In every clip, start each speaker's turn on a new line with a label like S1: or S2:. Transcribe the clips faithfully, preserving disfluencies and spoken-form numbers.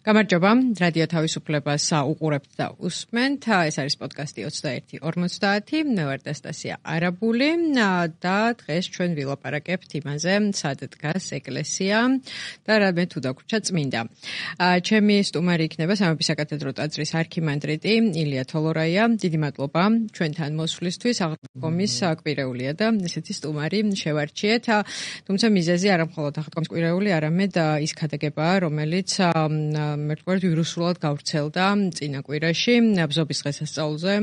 S1: გამარჯობა, რადიო თავისუფლებას უყურებთ და უსმენთ. ეს არის პოდკასტი ოცდაერთი ორმოცდაათი. მე ვარ დასტასია არაბული და დღეს ჩვენ ვილაპარაკებთ იმაზე, სად დგას ეკლესია და რა მე თუ დაგვრჩა წმინდა. ჩემი სტუმარი იქნება სამების საკათედრო ტაძრის არქიმანდრიტი ილია თოლორაია. დიდი მადლობა ჩვენთან მოსვლისთვის. აღდგომის კვირეულია და ესეთი სტუმარი შევარჩიეთ. თუმცა მიზეზი არა მხოლოდ აღდგომის კვირეული, არამედ ის ქადაგებაა, რომელიც მე ვთქვათ ვირუსულად გავრცელდა წინა კვირაში ბზობის დღესასწაულზე.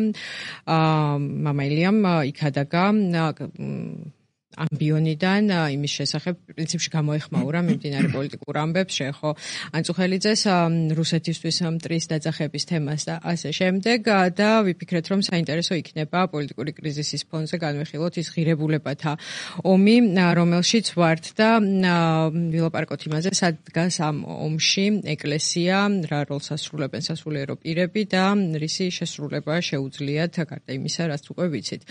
S1: მამა ილიამ იქადაგა ამბიონიდან იმის შესახებ პრინციპში გამოეხმაურა მიმდინარე პოლიტიკურ ამბებს შეეხო ანწუხელიძეს რუსეთისთვის მტრის დაძახების თემას და ასე შემდეგ და ვიფიქრეთ რომ საინტერესო იქნება პოლიტიკური კრიზისის ფონზე განვიხილოთ ის ღირებულებათა ომი რომელშიც ვართ და ვილაპარაკოთ იმაზე სად დგას ამ ომში ეკლესია რა როლს ასრულებენ სასულიერო პირები და რისი შესრულება შეუძლიათ გარდა იმისა რაც უკვე ვიცით.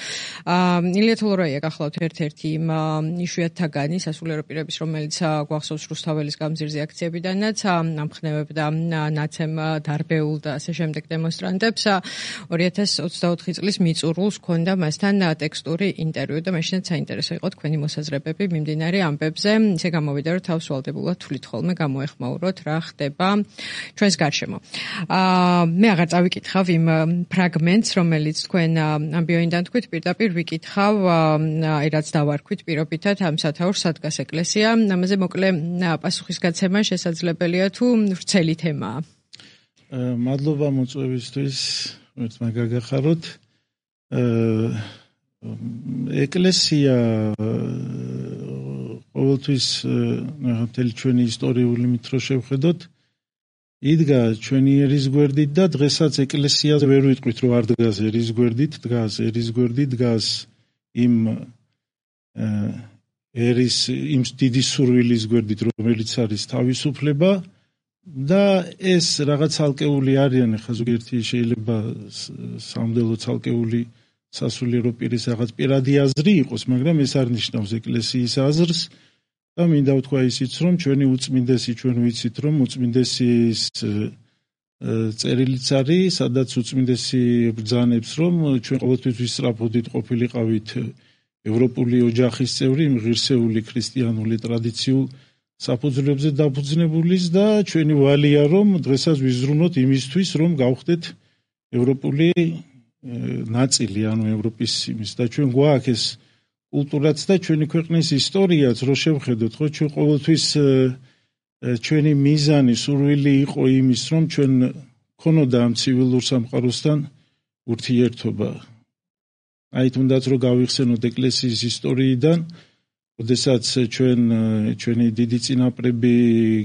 S1: ილია თოლორაია გახლავთ ერთ-ერთი იშვიათთაგანი სასულიერო პირების, რომელიც გვახსოვს რუსთაველის გამზირზე აქციებიდანაც ამხნევებდა ნაცემ დარბეულ და ასე შემდეგ დემონსტრანტებს. ორი ათას ოცდაოთხი წლის მიწურულს ჰქონდა მასთან ტექსტური ინტერვიუ და მაშინაც საინტერესო იყო თქვენი მოსაზრებები მიმდინარე ამბებზე. ისე გამოვიდა, რომ თავს ვალდებულად თვლით ხოლმე გამოეხმაუროთ რა ხდება ჩვენს გარშემო. მე აღარ წავიკითხავ იმ ფრაგმენტს, რომელიც თქვენ ამბიონიდან თქვით, პირდაპირ ვიკითხავ აი რაც დავარ ქვით პირობითად ამ სათაურს სად დგას ეკლესია. ამაზე მოკლე პასუხისგაცემა შესაძლებელია თუ ვრცელი თემაა.
S2: მადლობა მოწვევისთვის, ერთ მაგაგახაროთ. ეკლესია ყოველთვის მთელი ჩვენი ისტორიული მითრო შევხედოთ, იდგა ჩვენი ერის გვერდით და დღესაც ეკლესიაზე ვერ ვიტყვით რომ არ დგას ერის გვერდით, დგას ერის გვერდით, დგას იმ ერის იმ დიდი სურვილის გვერდით, რომელიც არის თავისუფლება და ეს რაღაც ცალკეული არიან, ხა ზოგიერთი შეიძლება სამდელო ცალკეული სასულიერო პირის რაღაც პირადი აზრი იყოს, მაგრამ ეს არ ნიშნავს ეკლესიის აზრს და მინდა ვთქვა ისიც, რომ ჩვენი უწმინდესი, ჩვენ ვიცით, რომ უწმინდესის წერილიც არის, სადაც უწმინდესი ბრძანებს, რომ ჩვენ ყოველთვის ვისწრაფოდით ყოფილიყავით ევროპული ოჯახის წევრი, ღირსეული ქრისტიანული ტრადიციულ საფუძვლებზე დაფუძნებულის და ჩვენი ვალია რომ დღესაც ვიზრუნოთ იმისთვის, რომ გავხდეთ ევროპული ნაწილი, ანუ ევროპის იმის და ჩვენ გვაქვს ეს კულტურაც და ჩვენი ქვეყნის ისტორიაც რო შევხედოთ, ხო, ჩვენ ყოველთვის ჩვენი მიზანი, სურვილი იყო იმის, რომ ჩვენ ქონოდა ამ ცივილურ სამყაროსთან ურთიერთობა. აი თუნდაც რომ გავიხსენოთ ეკლესიის ისტორიიდან, როდესაც ჩვენ ჩვენი დიდი წინაპრები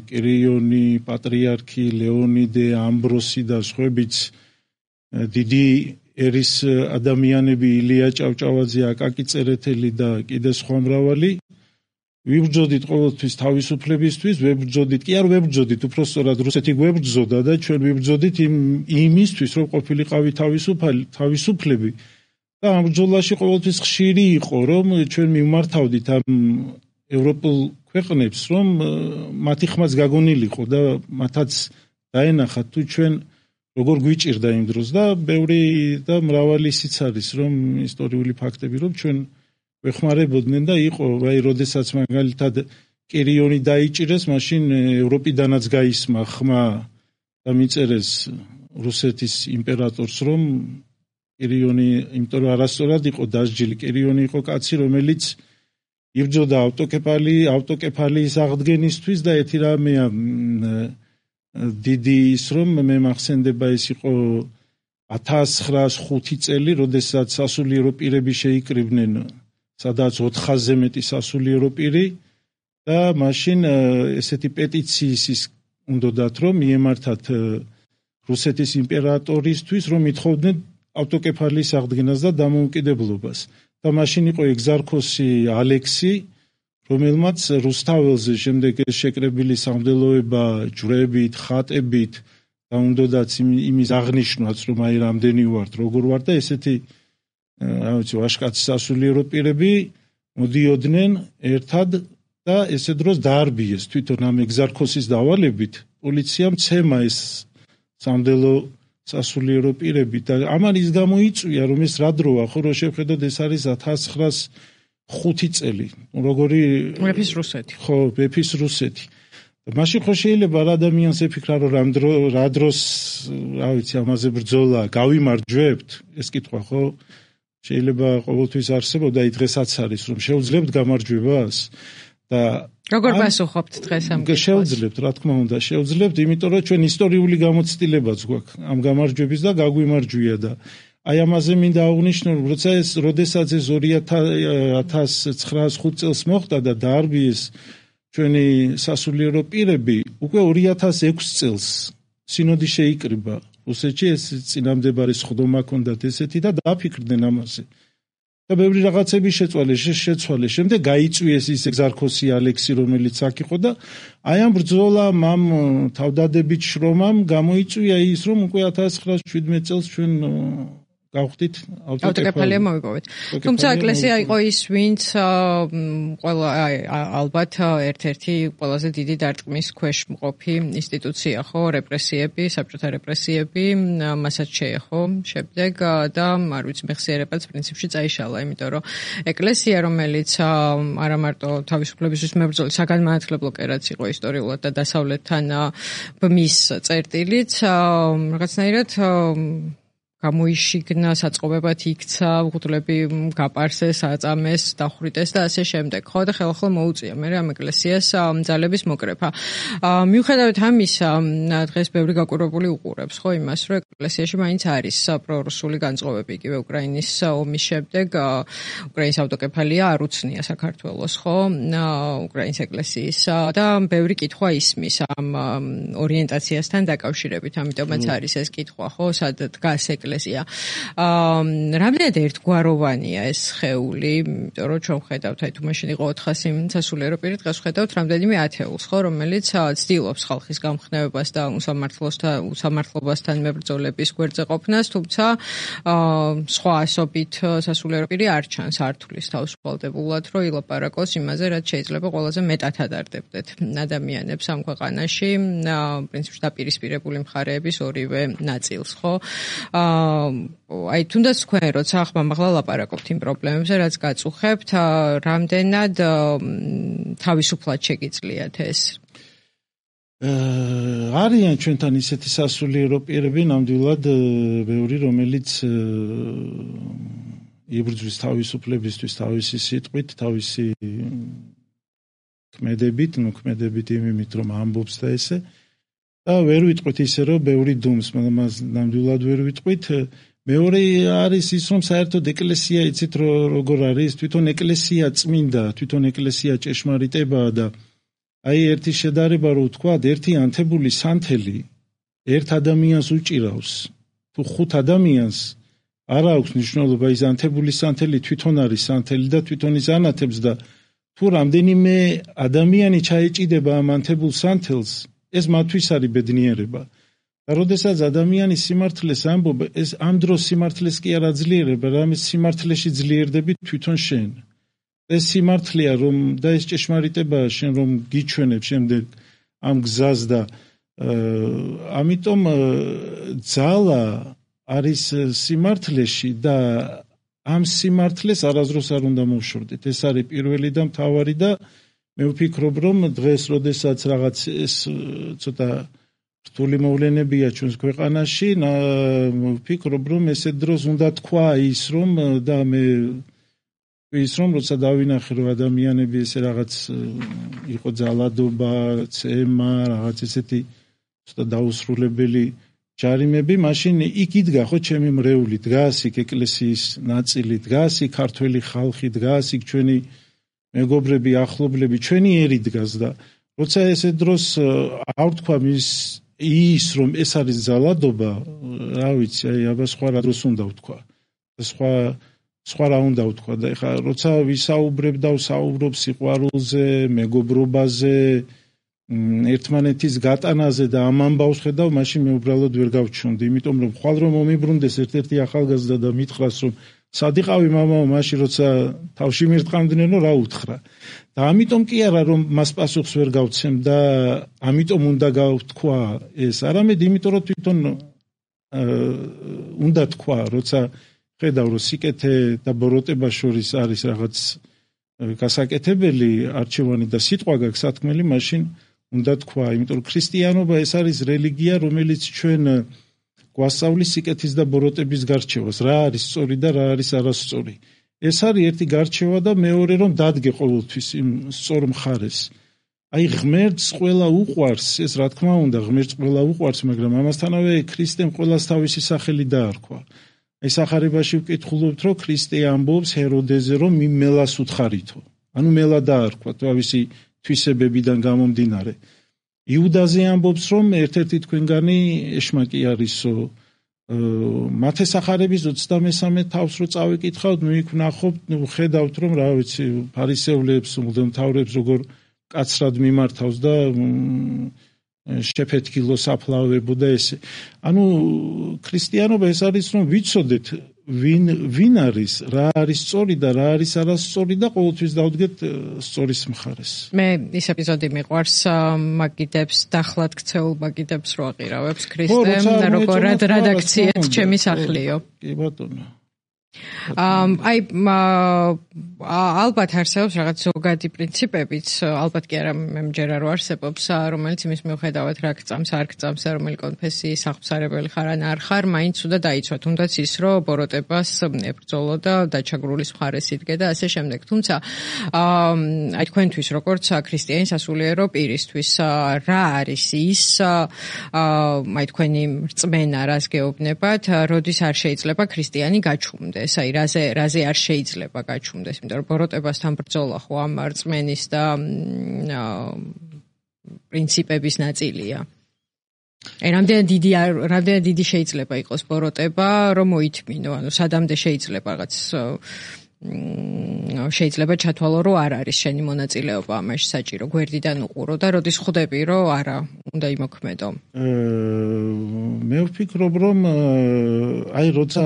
S2: კირიონი, პატრიარქი, ლეონიდე, ამბროსი და სხვაებიც დიდი ერის ადამიანები ილია ჭავჭავაძე, აკაკი წერეთელი და კიდე სხვა მრავალი ვიბრძოდით ყოველთვის თავისუფლებისთვის, ვებრძოდით, კი არ ვებრძოდით, უпростоრად რუსეთი გვებრძოდა და ჩვენ ვიბრძოდით იმ იმისთვის, რომ ყოფილიყავით თავისუფალი, თავისუფლები. და ამ ბრძოლაში ყოველთვის ხშირი იყო, რომ ჩვენ მიმართავდით ამ ევროპულ ქვეყნებს, რომ მათი ხმაც გაგონილიყო და მათაც დაენახათ თუ ჩვენ როგორ გვიჭირდა იმ დროს და ბევრი და მრავალი ისიც არის, რომ ისტორიული ფაქტები, რომ ჩვენ ვეხმარებოდნენ და იყო, აი, როდესაც მაგალითად კირიონი დაიჭირეს, მაშინ ევროპიდანაც გაისმა ხმა და მიწერეს რუსეთის იმპერატორს, რომ კირიონი, იმიტომ რომ არასწორად იყო დასჯილი, კირიონი იყო კაცი, რომელიც იბრძოდა ავტოკეფალი, ავტოკეფალიის აღდგენისთვის და ერთი რამეა დიდი ის, რომ მე მახსენდება ეს იყო ათას ცხრაას ხუთი წელი, როდესაც სასულიერო პირები შეიკრიბნენ, სადაც ოთხასზე მეტი სასულიერო პირი და მაშინ ესეთი პეტიციის ის უნდათ რომ მიემართათ რუსეთის იმპერატორისთვის, რომ ითხოვდნენ ავტოკეფალიის აღდგენას და დამოუკიდებლობას. და მაშინ იყო ეგზარქოსი ალექსი, რომელმაც რუსთაველზე შემდეგ შეკრებილი სამდელოება ჯვრებით, ხატებით და უნდათ იმის აღნიშნვაც, რომ აი რამდენი ვართ, როგორ ვარ და ესეთი რა ვიცი, ვაშკაცი სასულიერო პირები მოდიოდნენ ერთად და ესე დროს დაარბიეს თვითონ ამ ეგზარქოსის დავალებით პოლიციამ ცემა ეს სამდელო სასულიერო პირები და ამან ის გამოიწვია რომ ეს რა დროა ხო რომ შევხედოთ ეს არის ათას ცხრაას ხუთი წელი როგორი
S1: მეფის რუსეთი
S2: ხო მეფის რუსეთი მაშინ ხო შეიძლება რა ადამიანს ეფიქრა რომ რამ დრო რა დროს რა ვიცი ამაზე ბრძოლა გავიმარჯვებთ ეს კითხვა ხო შეიძლება ყოველთვის არსებოდა აი დღესაც არის რომ შეუძლებთ გამარჯვებას და
S1: როგორ პასუხობთ დღეს ამ კითხვას
S2: შეუძლებთ რა თქმა უნდა შეუძლებთ იმიტომ რომ ჩვენ ისტორიული გამოცდილებაც გვაქვს ამ გამარჯვების და გაგვიმარჯვია და აი ამაზე მინდა აღვნიშნო რომ როცა ეს როდესაც ეს ორი ათას ცხრაას ხუთ წელს მოხდა და დაარბიეს ჩვენი სასულიერო პირები უკვე ორი ათას ექვსი წელს სინოდი შეიკრიბა რუსეთში ეს წინამდებარე სხდომა ჰქონდათ ესეთი და დააფიქრდნენ ამაზე და ბევრი რაღაცები შეცვალეს შეცვალეს შემდეგ გაიწვიეს ის ეგზარქოსი ალექსი რომელიც აქ იყო და აი ამ ბრძოლამ ამ თავდადებით შრომამ გამოიწვია ის რომ უკვე ათას ცხრაას შვიდმეტ წელს ჩვენ გავხდით
S1: ავტოკეფალია მოვიპოვეთ. თუმცა ეკლესია იყო ის, ვინც ყველა ალბათ ერთ-ერთი ყველაზე დიდი დარტყმის ქვეშ მყოფი ინსტიტუცია ხო, რეპრესიები, საბჭოთა რეპრესიები, მასაც შეეხო შემდეგ და არ ვიცი მეხსიერებაც პრინციპში წაიშალა, იმიტომ რომ ეკლესია რომელიც არა მარტო თავისუფლებისთვის მებრძოლი საგანმანათლებლო კერაც იყო ისტორიულად და დასავლეთთან ბმის წერტილიც რაღაცნაირად გამოიშიგნა, საწყობებად იქცა, უღდლები გაპარსეს, აწამეს, დახვრიტეს და ასე შემდეგ. ხო და ხელახლა მოუწია მე ამ ეკლესიას ძალების მოკრეფა. მიუხედავად ამისა, დღეს ბევრი გაკვირვებული უყურებს, ხო, იმას, რომ ეკლესიაში მაინც არის პრორუსული განწყობები, იგივე უკრაინის ომის შემდეგ უკრაინის ავტოკეფალია არ უცნია საქართველოს, ხო, უკრაინის ეკლესიის და ბევრი კითხვა ისმის ამ ორიენტაციასთან დაკავშირებით, ამიტომაც არის ეს კითხვა, ხო, სად დგას ეკლესია აა რამდენად ერთგვაროვანია ეს სხეული, იმიტომ რომ ჩვენ ხედავთ, აი თუ მაშინ იყო ოთხასი სასულიერო პირი, დღეს ხედავთ რამდენიმე ათეულს, ხო, რომელიც ცდილობს ხალხის გამხნევებას და უსამართლოსთან უსამართლობასთან მებრძოლების გვერდზე ყოფნას, თუმცა აა სხვა ასობით სასულიერო პირი არ ჩანს ართulis თავისუფალდებულად, რომ ილაპარაკოს იმაზე, რაც შეიძლება ყველაზე მეტად ადარდებდეთ ადამიანებს ამ ქვეყანაში, პრინციპში დაპირისპირებული მხარეების ორივე ნაწილს, ხო? აა აი თუნდაც თქვენ როცა ახლა ლაპარაკობთ იმ პრობლემებზე, რაც გაწუხებთ, რამდენად თავისუფლად შეგიძლიათ ეს?
S2: არიან ჩვენთან ისეთი სასულიერო პირები, ნამდვილად ბევრი, რომელიც იბრძვის თავისუფლებისთვის, თავისი სიტყვით, თავისი ქმედებით, ნუ ქმედებით იმით, რომ ამბობს და ესე და ვერ ვიტყვით ისე რომ ბევრი დუმს, მაგრამ ნამდვილად ვერ ვიტყვით. მეორე არის ის რომ საერთოდ ეკლესია იცით როგორ არის, თვითონ ეკლესია წმინდა, თვითონ ეკლესია ჭეშმარიტებაა და აი ერთი შედარება რო ვთქვა, ერთი ანთებული სანთელი ერთ ადამიანს უჭირავს. თუ ხუთ ადამიანს არ აქვს მნიშვნელობა ის ანთებული სანთელი თვითონ არის სანთელი და თვითონ ის ანათებს და თუ რამდენიმე ადამიანი ჩაეჭიდება ამ ანთებულ სანთელს ეს მათთვის არის ბედნიერება. და როდესაც ადამიანი სიმართლეს ამბობა, ეს ამ დროს სიმართლეს კი არ აძლიერება, რამე სიმართლეში ძლიერდები თვითონ შენ. ეს სიმართლეა რომ და ეს ჭეშმარიტებაა შენ რომ გიჩვენებ შემდეგ ამ გზას და ამიტომ ძალა არის სიმართლეში და ამ სიმართლეს არაზრუს არ უნდა მოვშორდეთ. ეს არის პირველი და მთავარი და მე ვფიქრობ რომ დღეს როდესაც რაღაც ეს ცოტა რთული მოვლენებია ჩვენს ქვეყანაში, ვფიქრობ რომ ესეთ დროს უნდა თქვა ის რომ და მე ის რომ როცა დავინახე რომ ადამიანები ესე რაღაც იყო ძალადობა, ცემა, რაღაც ესეთი ცოტა დაუსრულებელი ჯარიმები, მაშინ იქ იდგა ხო ჩემი მრევლი, დგას იქ ეკლესიის ნაწილი, დგას იქ ქართველი ხალხი, დგას იქ ჩვენი მეგობრები, ახლობლები, ჩვენი ერი დგას და როცა ესე დროს არ თქვა ის ის რომ ეს არის ძალადობა, რა ვიცი, აი აბა სხვა რა დროს უნდა ვთქვა. სხვა სხვა რა უნდა ვთქვა და ეხლა როცა ვისაუბრებ და ვსაუბრობ სიყვარულზე, მეგობრობაზე, ერთმანეთის გატანაზე და ამ ამბავს ხედავ, მაშინ მე უბრალოდ ვერ გავჩვენდი, იმიტომ რომ ხვალ რომ მომიბრუნდეს ერთ-ერთი ახალგაზრდა და მითხრას რომ სადიყავი მამაო მაშინ როცა თავში მირტყამდნენ რა უთხრა და ამიტომ კი არა რომ მას პასუხს ვერ გავცემ და ამიტომ უნდა გავთქვა ეს არამედ იმიტომ რომ თვითონ უნდა თქვა როცა ხედავ რომ სიკეთე და ბოროტება შორის არის რაღაც გასაკეთებელი არჩევანი და სიტყვა გაქვს სათქმელი მაშინ უნდა თქვა იმიტომ რომ ქრისტიანობა ეს არის რელიგია რომელიც ჩვენ გვასწავლის სიკეთის და ბოროტების გარჩევას რა არის სწორი და რა არის არასწორი ეს არის ერთი გარჩევა და მეორე რომ დადგე ყოველთვის იმ სწორ მხარეს აი ღმერთს ყველა უყვარს ეს რა თქმა უნდა ღმერთს ყველა უყვარს მაგრამ ამასთანავე ქრისტემ ყველას თავისი სახელი დაარქვა აი სახარებაში ვკითხულობთ რომ ქრისტე ამბობს ჰეროდეზე რომ მელას უთხარითო ანუ მელა დაარქვა თავისი თვისებებიდან გამომდინარე იუდაზე ამბობს რომ ერთ-ერთი თქვენგანი ეშმაკი არისო მათე სახარების ოცდამესამე თავს რო წავიკითხავთ ნუ იქ ვნახობთ ნუ ხედავთ რომ რა ვიცი ფარისევლებს მღვდელმთავრებს როგორ კაცრად მიმართავს და შეფეთქილო საფლავებოდა ესე ანუ ქრისტიანობა ეს არის რომ ვიცოდეთ ვინ ვინ არის რა არის სწორი და რა არის არასწორი და ყოველთვის დავდგეთ სწორის მხარეს
S1: მე ის ეპიზოდი მიყვარს მაგიდებს დახლად ქცეულ მაგიდებს რო აყირავებს ქრისტემ და როგორად რედაქციად ჩემი სახლიო
S2: კი ბატონო
S1: აი ალბათ არსებობს რაღაც ზოგადი პრინციპებიც ალბათ კი არა მე მჯერა რომ არსებობს რომელიც იმის მიუხედავად რა გწამს არ გწამს რომელი კონფესიის აღსარებელი ხარ ან არ ხარ მაინც უნდა დაიცვა თუნდაც ის რომ ბოროტებას ებრძოლო და დაჩაგრულის მხარეს იდგე და ასე შემდეგ თუმცა აი თქვენთვის როგორც ქრისტიანი სასულიერო პირისთვის რა არის ის აი თქვენი რწმენა რას გეუბნებათ როდის არ შეიძლება ქრისტიანი გაჩუმდეს აი რაზე რაზე არ შეიძლება გაჩუმდეს იმიტომ რომ ბოროტებასთან ბრძოლა ხო ამ რწმენის და პრინციპების ნაწილია აი რამდენი დიდი რამდენი დიდი შეიძლება იყოს ბოროტება რომ მოითმინო ანუ სადამდე შეიძლება რაღაც შეიძლება ჩათვალო რომ არ არის შენი მონაწილეობა ამაში საჭირო გვერდიდან უყურო და როდის ხვდები რომ არა უნდა იმოქმედო
S2: მე ვფიქრობ რომ აი როცა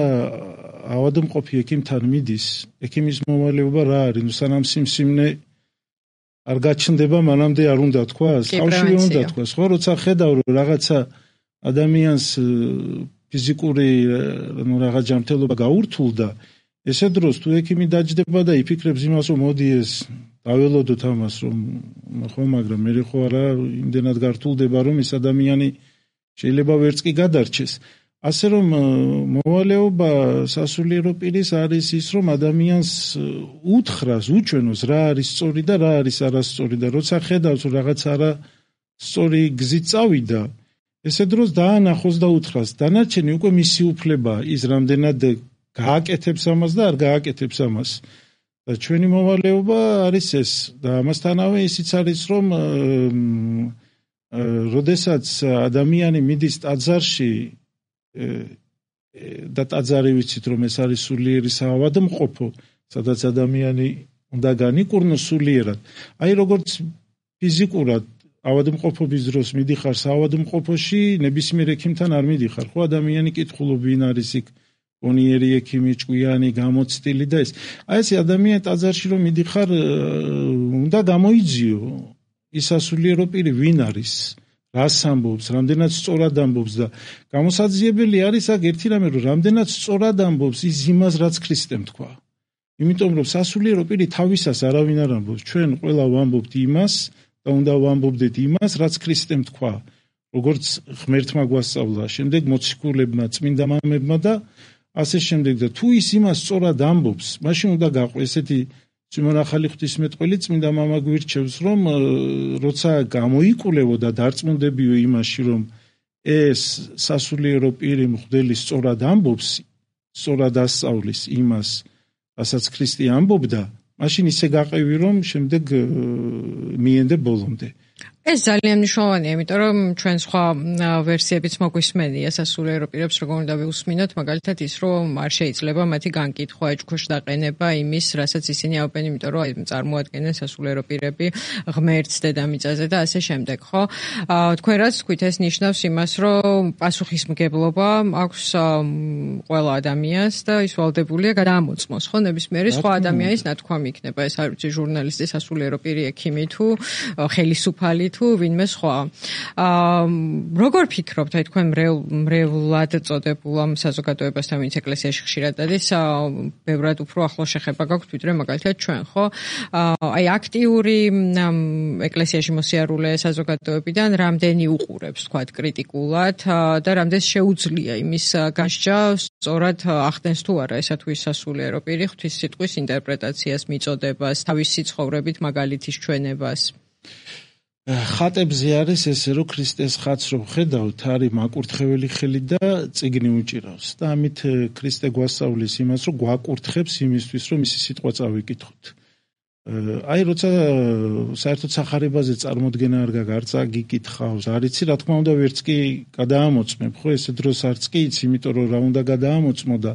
S2: ავადმყოფი ექიმთან მიდის ექიმის მოვალეობა რა არის ნუ სანამ სიმსივნე არ გაჩნდება მანამდე არ უნდა თქვა თავშივე უნდა თქვა ხო როცა ხედავ რომ რაღაცა ადამიანს ფიზიკური ნუ რაღაც ჯანმრთელობა გაურთულდა ესე დროს თუ ექიმი დაჯდება და იფიქრებს იმას რომ მოდი ეს დაველოდოთ ამას რომ ხო მაგრამ მე ხო არა იმდენად გართულდება რომ ეს ადამიანი შეიძლება ვერც კი გადარჩეს ასე რომ მოვალეობა სასულიერო პირის არის ის რომ ადამიანს უთხრას უჩვენოს რა არის სწორი და რა არის არასწორი და როცა ხედავს რომ რაღაც არა სწორი გზით წავიდა ესე დროს დაანახოს და უთხრას დანარჩენი უკვე მისი უფლებაა ის რამდენად გააკეთებს ამას და არ გააკეთებს ამას და ჩვენი მოვალეობა არის ეს და ამასთანავე ისიც არის რომ როდესაც ადამიანი მიდის ტაძარში და ტაძარი ვიცით რომ ეს არის სულიერი საავადმყოფო სადაც ადამიანი უნდა განიკურნოს სულიერად აი როგორც ფიზიკურად ავადმყოფობის დროს მიდიხარ საავადმყოფოში ნებისმიერ ექიმთან არ მიდიხარ ხო ადამიანი კითხულობ ვინ არის იქ პონიერი ექიმი ჭკვიანი გამოცდილი და ეს აი ეს ადამიანი ტაძარში რომ მიდიხარ უნდა გამოიძიო ის სასულიერო პირი ვინ არის რას ამბობს, რამდენად სწორად ამბობს და გამოსაძიებელი არის აქ ერთი რამე რომ რამდენად სწორად ამბობს ის იმას რაც ქრისტემ თქვა. იმიტომ რომ სასულიერო პირი თავისას არავინ არ ამბობს, ჩვენ ყველა ვამბობთ იმას და უნდა ვამბობდეთ იმას რაც ქრისტემ თქვა. როგორც ღმერთმა გვასწავლა, შემდეგ მოციქულებმა, წმინდა მამებმა და ასე შემდეგ და თუ ის იმას სწორად ამბობს, მაშინ უნდა გაყვე ესეთი Სიმონ ახალი ღვთისმეტყველი წმინდა მამა გვირჩევს რომ როცა გამოიკვლევო და დარწმუნდებიო იმაში რომ ეს სასულიერო პირი მღვდელი სწორად ამბობს, სწორად ასწავლის იმას, რასაც ქრისტე ამბობდა, მაშინ ისე გაყევი რომ შემდეგ მიენდე ბოლომდე.
S1: ეს ძალიან მნიშვნელოვანია, იმიტომ რომ ჩვენ სხვა ვერსიებიც მოგვისმენია სასულიერო პირებს, როგორ უნდა ვიუსმინოთ, მაგალითად ის, რომ არ შეიძლება მათი განკითხვა, ეჭქვეშ დაყენება იმის, რასაც ისინი აუპენ, იმიტომ რომ წარმოადგენენ სასულიერო პირები ღმერთს დედამიწაზე და ასე შემდეგ, ხო? თქვენ რაც თქვით, ეს ნიშნავს იმას, რომ პასუხისმგებლობა აქვს ყველა ადამიანს და ის ვალდებულია გადაამოწმოს, ხო? ნებისმიერი სხვა ადამიანის ნათქვამი იქნება, ეს არ ვიცი, ჟურნალისტი, სასულიერო პირი, ექიმი თუ ხელისუფალი თუ ვინმე სხვა. აა როგორ ფიქრობთ, აი თქვენ მრევლად წოდებულ ამ საზოგადოებასთან, ვინც ეკლესიაში ხშირად დადის, ბევრად უფრო ახლო შეხება გაქვთ, ვიდრე მაგალითად ჩვენ, ხო? აი აქტიური ეკლესიაში მოსიარულე საზოგადოებიდან რამდენი უყურებს, თქვათ, კრიტიკულად და რამდენს შეუძლია იმის გასჯა, სწორად ახდენს თუ არა ესა თუ ის სასულიერო პირი ღვთის სიტყვის ინტერპრეტაციას, მიწოდებას, თავისი ცხოვრებით მაგალითის ჩვენებას.
S2: ხატებზე არის ესე, რომ ქრისტეს ხატს რომ ხედავთ, არის მაკურთხეველი ხელი და წიგნი უჭირავს და ამით ქრისტე გვასწავლის იმას, რომ გვაკურთხებს იმისთვის, რომ მისი სიტყვა წავიკითხოთ. აი როცა საერთოდ სახარებაზე წარმოდგენა არ გაქვს, არ გიკითხავს, არ იცი, რა თქმა უნდა, ვერც კი გადაამოწმებ, ხო, ესე დროს არც კი იცი, იმიტომ რომ რა უნდა გადაამოწმო და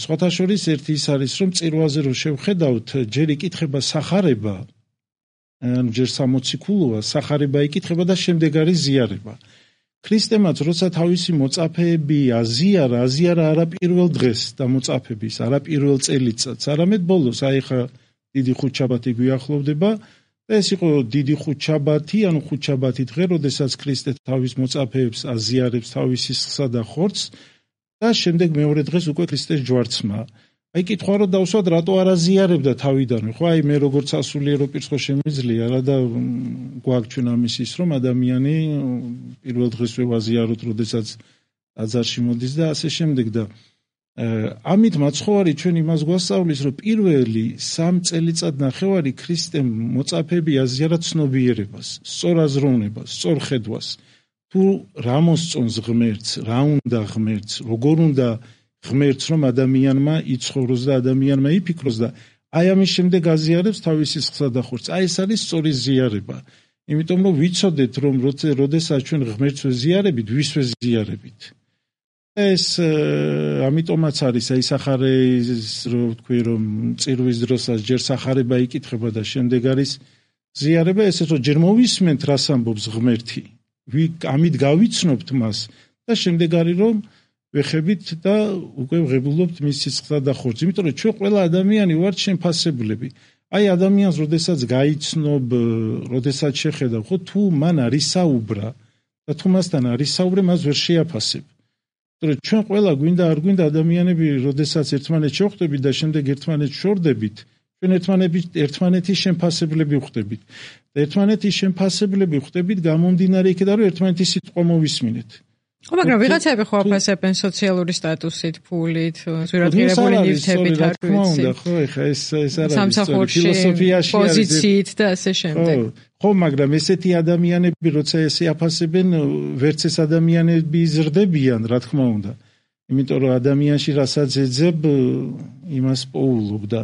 S2: სხვათა შორის ერთი ის არის, რომ წირვაზე რომ შევხედავთ, ჯერ იკითხება სახარება, ან ჯერ სამოციქულოა, სახარება იკითხება და შემდეგ არის ზიარება. ქრისტემაც როცა თავისი მოწაფეები აზიარა, აზიარა არა პირველ დღეს და მოწაფების, არა პირველ წელიწადს, არამედ ბოლოს, აი ხა დიდი ხუთშაბათი გვიახლოვდება და ეს იყო დიდი ხუთშაბათი, ანუ ხუთშაბათი დღე, როდესაც ქრისტე თავის მოწაფეებს აზიარებს თავის სისხლსა და ხორცს და შემდეგ მეორე დღეს უკვე ქრისტეს ჯვარცმა. აი კითხვა რომ დავსვათ, რატო არ აზიარებდა თავიდანვე, ხო, აი მე როგორც სასულიერო პირს ხო შემიძლია რა და გვაქვს ჩვენ ამის ის, რომ ადამიანი პირველ დღესვე ვაზიაროთ, როდესაც აზარში მოდის და ასე შემდეგ და ამით მაცხოვარი ჩვენ იმას გვასწავლის, რომ პირველი სამ წელიწად ნახევარი ქრისტემ მოწაფეები აზიარა ცნობიერებას, სწორ აზროვნებას, სწორ ხედვას. თუ რა მოსწონს ღმერთს, რა უნდა ღმერთს, როგორ უნდა ღმერთს, რომ ადამიანმა იცხოვროს და ადამიანმა იფიქროს და აი ამის შემდეგ აზიარებს თავის სისხლსა და ხორცს. აი ეს არის სწორი ზიარება. იმიტომ რომ ვიცოდეთ, რომ როდესაც ჩვენ ღმერთს ვეზიარებით, ვის ვეზიარებით. ეს ამიტომაც არის აი სახარეს, რო ვთქვი, რომ წირვის დროსაც ჯერ სახარება იკითხება და შემდეგ არის ზიარება, ესე რომ ჯერ მოვისმენთ, რას ამბობს ღმერთი, ამით გავიცნობთ მას და შემდეგ არის რომ ვეხებით და უკვე ვღებულობთ მის სისხლსა და ხორცს. იმიტომ რომ ჩვენ ყველა ადამიანი ვართ შემფასებლები. აი ადამიანს როდესაც გაიცნობ, როდესაც შეხედავ, ხო თუ მან არის საუბრა და თუ მასთან არის საუბრე, მას ვერ შეაფასებ. იმიტომ რომ ჩვენ ყველა გვინდა არ გვინდა ადამიანები, როდესაც ერთმანეთს შევხვდებით და შემდეგ ერთმანეთს შორდებით, ჩვენ ერთმანეთის ერთმანეთის შემფასებლები ვხდებით. და ერთმანეთის შემფასებლები ვხდებით გამომდინარე იქიდან, რომ ერთმანეთის სიტყვა მოვისმინეთ.
S1: ხო, მაგრამ ვიღაცები ხო აფასებენ სოციალური სტატუსით, ფულით, ზურაბგერებული ნივთებით, არ ვიცი.
S2: ხო, ეხა ეს ეს არის ფილოსოფიაში
S1: პოზიციით და ასე შემდეგ.
S2: ხო, მაგრამ ესეთი ადამიანები, როცა ესე აფასებენ, ვერც ეს ადამიანები იზრდებიან, რა თქმა უნდა. იმიტომ რომ ადამიანში რასაც ეძებ, იმას პოულობ და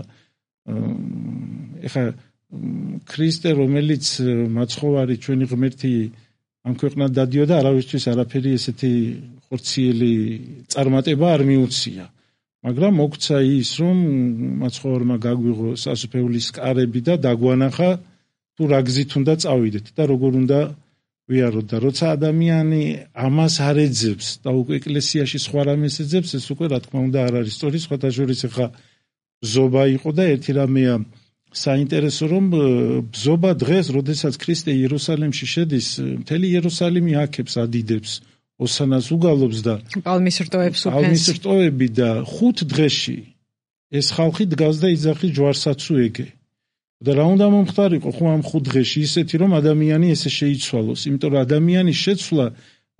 S2: ეხა ქრისტე, რომელიც მაცხოვარი ჩვენი ღმერთი ამ ქვეყნად დადიოდა, არავისთვის არაფერი ესეთი ხორციელი წარმატება არ მიუცია. მაგრამ მოგცა ის, რომ მაცხოვარმა გაგვიღო სასუფეულის კარები და დაგვანახა თუ რა გზით უნდა წავიდეთ და როგორ უნდა ვიაროთ და როცა ადამიანი ამას არ ეძებს და უკვე ეკლესიაში სხვა რამეს ეძებს, ეს უკვე რა თქმა უნდა არ არის სწორი. სხვათა შორის ახლა ბზობა იყო და ერთი რამეა საინტერესო, რომ ბზობა დღეს, როდესაც ქრისტე იერუსალიმში შედის, მთელი იერუსალიმი აქებს, ადიდებს, ოსანას უგალობს და
S1: პალმის რტოებს უფენს.
S2: პალმის რტოები და ხუთ დღეში ეს ხალხი დგას და იძახის ჯვარსაც უეგე. და რა უნდა მომხდარიყო ხო ამ ხუთ დღეში ისეთი, რომ ადამიანი ესე შეიცვალოს, იმიტომ რომ ადამიანის შეცვლა,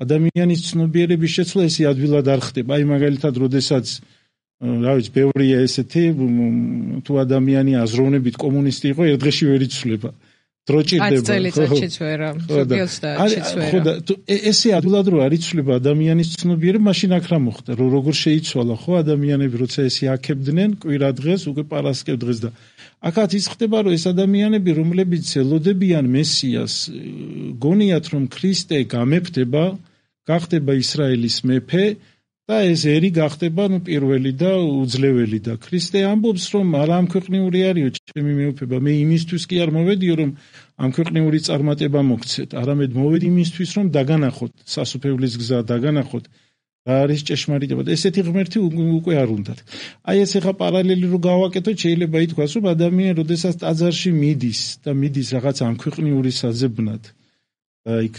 S2: ადამიანის ცნობიერების შეცვლა ესე ადვილად არ ხდება. აი მაგალითად, როდესაც რა ვიცი, ბევრია ესეთი, თუ ადამიანი აზროვნებით კომუნისტი იყო, ერთ დღეში ვერ იცვლება. დრო ჭირდება.
S1: ათი წელიწადშიც ვერა, ზოგი ოცდაათშიც ვერა.
S2: ხო და ესე ადვილად რო არ იცვლება ადამიანის ცნობიერება, მაშინ აქ რა მოხდა, რომ როგორ შეიცვალა ხო ადამიანები, როცა ესე აქებდნენ კვირა დღეს, უკვე პარასკევ დღეს და აქაც ის ხდება, რომ ეს ადამიანები, რომლებიც ელოდებიან მესიას, გონიათ რომ ქრისტე გამეფდება, გახდება ისრაელის მეფე და ეს ერი გახდება ნუ პირველი და უძლეველი და ქრისტე ამბობს რომ არა ამ ქვეყნიური არისო ჩემი მეუფება მე იმისთვის კი არ მოვედიო რომ ამ ქვეყნიური წარმატება მოგცეთ არამედ მოვედი იმისთვის რომ დაგანახოთ სასופევლის გზა დაგანახოთ რა არის ჭეშმარიტება და ესეთი ღმერთი უკვე არ უნდათ აი ეს ახლა პარალელი რო გავაკეთოთ შეიძლება ითქვას რომ ადამიანი როდესაც ტაძარში მიდის და მიდის რაღაც ამ ქვეყნიური საზებნად იქ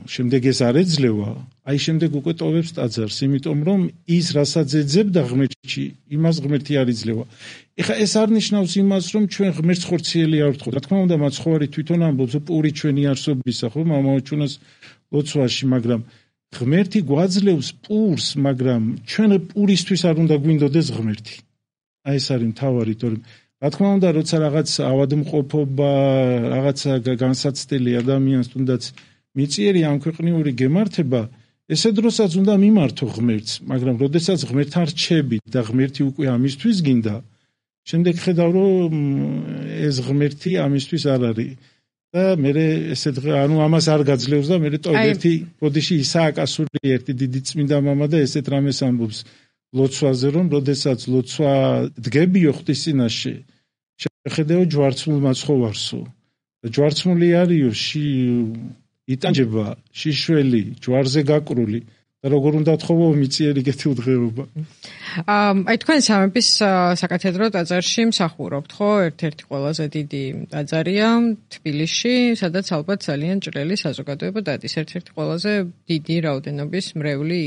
S2: შემდეგ ეს არ ეძლევა აი შემდეგ უკვე ტოვებს ტაძარს იმიტომ რომ ის რასაც ეძებდა ღმერთში იმას ღმერთი არ იძლევა ეხა ეს არ ნიშნავს იმას რომ ჩვენ ღმერთს ხორციელი არ ვთხოვთ რა თქმა უნდა მაცხოვარი თვითონ ამბობს პური ჩვენი არსობისა ხო მამაოჩუნას ლოცვაში მაგრამ ღმერთი გვაძლევს პურს მაგრამ ჩვენ პურისთვის არ უნდა გვინდოდეს ღმერთი აი ეს არის მთავარი თორემ რა თქმა უნდა, როცა რაღაც ავადმყოფობა, რაღაცა განსაცდელი ადამიანს თუნდაც მიწიერი ამ ქვეყნიური გემართება, ესე დროსაც უნდა მიმართო ღმერთს, მაგრამ როდესაც ღმერთთან რჩები და ღმერთი უკვე ამისთვის გინდა, შემდეგ ხედავ რომ ეს ღმერთი ამისთვის არ არის. და მე ესე ანუ ამას არ გაძლევს და მე ტოვ ერთი ბოდიში ისააკ ასური ერთი დიდი წმინდა მამა და ესეთ რამეს ამბობს ლოცვაზე რომ როდესაც ლოცვა დგებიო ღვთისწინაშე შეხედეო ჯვარცმულ მაცხოვარსო და ჯვარცმული არისო ში იტანჯება შიშველი ჯვარზე გაკრული და როგორ უნდა თხოვო მიწიერი კეთილდღეობა
S1: აი თქვენ სამების საკათედრო ტაძარში მსახურობთ ხო ერთ-ერთი ყველაზე დიდი ტაძარია თბილისში სადაც ალბათ ძალიან ჭრელი საზოგადოება დადის ერთ-ერთი ყველაზე დიდი რაოდენობის მრევლი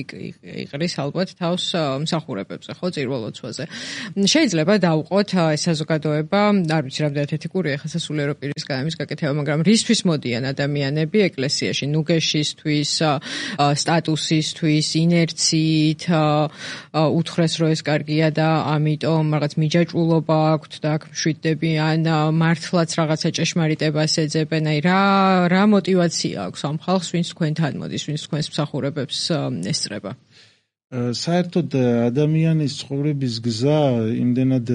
S1: იყრის ალბათ თავს მსახურებებზე ხო წირვალოცვაზე შეიძლება დავუყოთ ეს საზოგადოება არ ვიცი რამდენად ეთიკურია ხა სასულიერო პირისგან ამის გაკეთება მაგრამ რისთვის მოდიან ადამიანები ეკლესიაში ნუგეშისთვის სტატუსისთვის ინერციით უთხრეს რომ ეს კარგია და ამიტომ რაღაც მიჯაჭვულობა აქვთ და აქ მშვიდდები ან მართლაც რაღაცა ჭეშმარიტებას ეძებენ აი რა რა мотиваცია აქვს ამ ხალხს ვინც თქვენთან მოდის ვინც თქვენს მსახურებებს ესწრება
S2: საერთოდ ადამიანის ცხოვრების გზა იმდენად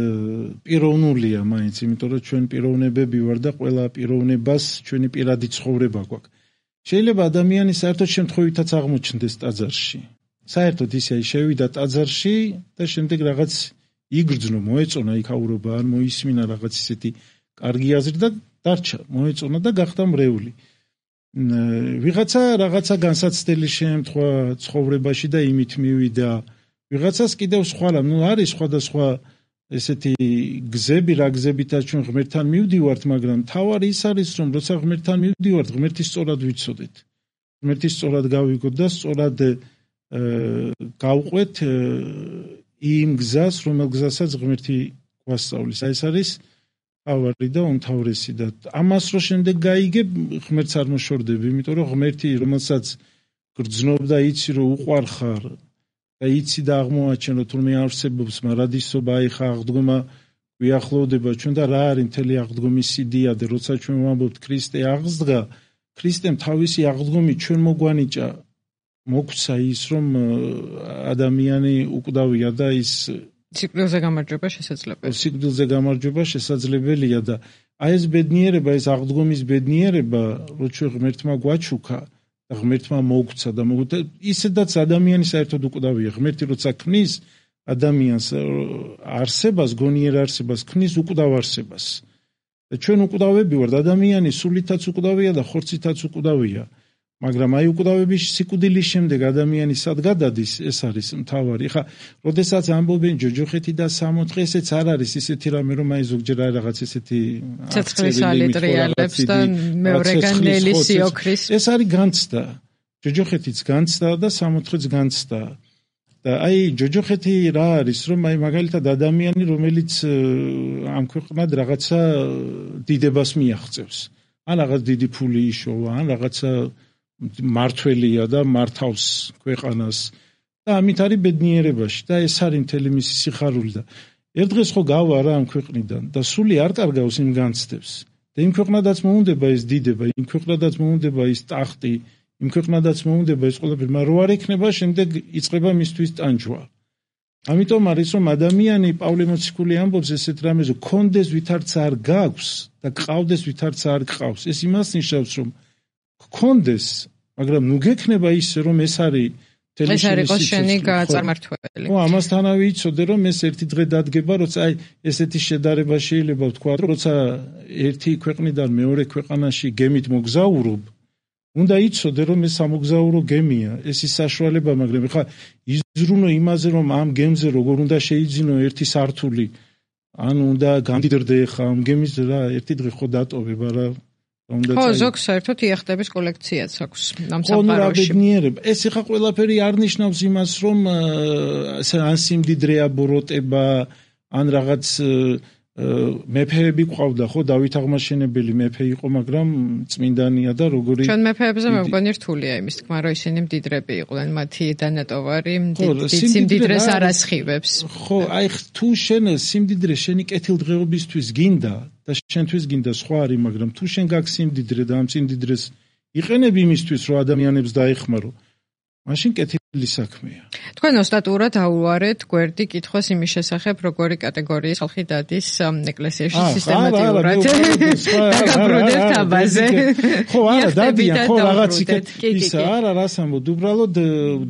S2: პიროვნულია მაინც იმიტომ რომ ჩვენ პიროვნებები ვარ და ყველა პიროვნებას ჩვენი პირადი ცხოვრება გვაქვს შეიძლება ადამიანი საერთოდ შემთხვევითაც აღმოჩნდეს ტაძარში საერთოდ ისე შევიდა ტაძარში და შემდეგ რაღაც იგრძნო, მოეწონა იქაურობა, ან მოისმინა რაღაც ისეთი კარგი აზრი და დარჩა, მოეწონა და გახდა მრევლი. ვიღაცა რაღაცა განსაცდელი შემთხვევა ცხოვრებაში და იმით მივიდა. ვიღაცას კიდევ სხვა რამ, ნუ არის სხვადასხვა ესეთი გზები, რა გზებითაც ჩვენ ღმერთთან მივდივართ, მაგრამ თავარი ის არის, რომ როცა ღმერთთან მივდივართ, ღმერთის სწორად ვიცოდეთ. ღმერთის სწორად გავიგოთ და სწორად გავყვეთ იმ გზას, რომელ გზასაც ღმერთი გვასწავლის. აი ეს არის თავარი და უმთავრესი და ამას რო შემდეგ გაიგებ, ღმერთს არ მოშორდები, იმიტომ რომ ღმერთი, რომელსაც გრძნობ და იცი რომ უყვარხარ და იცი და აღმოაჩენ რომ თურმე არსებობს მარადისობა, აი ხა აღდგომა გვიახლოვდება ჩვენ და რა არის მთელი აღდგომის სიდიადე, როცა ჩვენ ვამბობთ ქრისტე აღსდგა, ქრისტემ თავისი აღდგომით ჩვენ მოგვანიჭა მოგვცა ის რომ ადამიანი უკვდავია და ის
S1: სიკვდილზე გამარჯვება შესაძლებელია.
S2: სიკვდილზე გამარჯვება შესაძლებელია და აი ეს ბედნიერება, ეს აღდგომის ბედნიერება, როცა ღმერთმა გვაჩუქა და ღმერთმა მოგვცა და ისედაც ადამიანი საერთოდ უკვდავია. ღმერთი როცა ქმნის ადამიანს არსებას, გონიერ არსებას, ქმნის უკვდავ არსებას. და ჩვენ უკვდავები ვართ, ადამიანი სულითაც უკვდავია და ხორცითაც უკვდავია. მაგრამ აი უკვდავების სიკვდილის შემდეგ ადამიანი სად გადადის, ეს არის მთავარი. ხა, როდესაც ამბობენ ჯოჯოხეთი და სამოთხე, ესეც არ არის ისეთი რამე, რომ აი ზოგჯერ არის რაღაც ესეთი
S1: ცეცხლის ალიტრიალებს და მეორეგან ნელის ოქრის.
S2: ეს არის განცდა. ჯოჯოხეთიც განცდა და სამოთხეც განცდა. და აი ჯოჯოხეთი რა არის, რომ აი მაგალითად ადამიანი, რომელიც ამ ქვეყნად რაღაცა დიდებას მიაღწევს. ან რაღაც დიდი ფული იშოვა, ან რაღაცა მართველია და მართავს ქვეყანას და ამით არის ბედნიერებაში და ეს არის მთელი მისი სიხარული და ერთ დღეს ხო გავა რა ამ ქვეყნიდან და სული არ კარგავს იმ განცდებს და იმ ქვეყნადაც მოუნდება ეს დიდება, იმ ქვეყნადაც მოუნდება ის ტახტი, იმ ქვეყნადაც მოუნდება ეს ყველაფერი, მაგრამ რო არ ექნება, შემდეგ იწყება მისთვის ტანჯვა. ამიტომ არის რომ ადამიანი პავლე მოციქული ამბობს ესეთ რამეზე, კონდეს ვითარც არ გაქვს და გყავდეს ვითარც არ გყავს. ეს იმას ნიშნავს რომ გქონდეს, მაგრამ ნუ გექნება ისე რომ ეს არის
S1: ეს არის შენი გაწარმართველი.
S2: ხო, ამასთანავე იცოდე რომ ეს ერთი დღე დადგება, როცა აი ესეთი შედარება შეიძლება ვთქვა, როცა ერთი ქვეყნიდან მეორე ქვეყანაში გემით მოგზაურობ, უნდა იცოდე რომ ეს სამოგზაურო გემია, ეს ის საშუალება, მაგრამ ხა იზრუნო იმაზე რომ ამ გემზე როგორ უნდა შეიძინო ერთი სართული, ანუ უნდა გამდიდრდე ხა ამ გემის რა ერთი დღე ხო დატოვება რა.
S1: ხო, ზოგს საერთოდ იახტების კოლექციაც აქვს ამ სამყაროში.
S2: ეს ხა ყველაფერი არ ნიშნავს იმას, რომ ან სიმდიდრეა ბოროტება, ან რაღაც მეფეები ყავდა, ხო, დავით აღმაშენებელი მეფე იყო, მაგრამ წმინდანია და როგორი
S1: ჩვენ მეფეებზე მე მგონი რთულია იმის თქმა, რომ ისინი მდიდრები იყვნენ, მათი დანატოვარი სიმდიდრეს არ ასხივებს.
S2: ხო, აი თუ შენ სიმდიდრე შენი კეთილდღეობისთვის გინდა და შენთვის გინდა სხვა არის, მაგრამ თუ შენ გაქვს სიმდიდრე და ამ სიმდიდრეს იყენებ იმისთვის, რომ ადამიანებს დაეხმარო, მაშინ კეთილი საქმეა.
S1: თქვენ ოსტატურად აუვარეთ გვერდი კითხოს იმის შესახებ, როგორი კატეგორიის ხალხი დადის ეკლესიაში სისტემატიურად. დაგაბრუნებთ აბაზე.
S2: ხო, არა, დადიან, ხო, რაღაც ის არა, რას ამბობ, უბრალოდ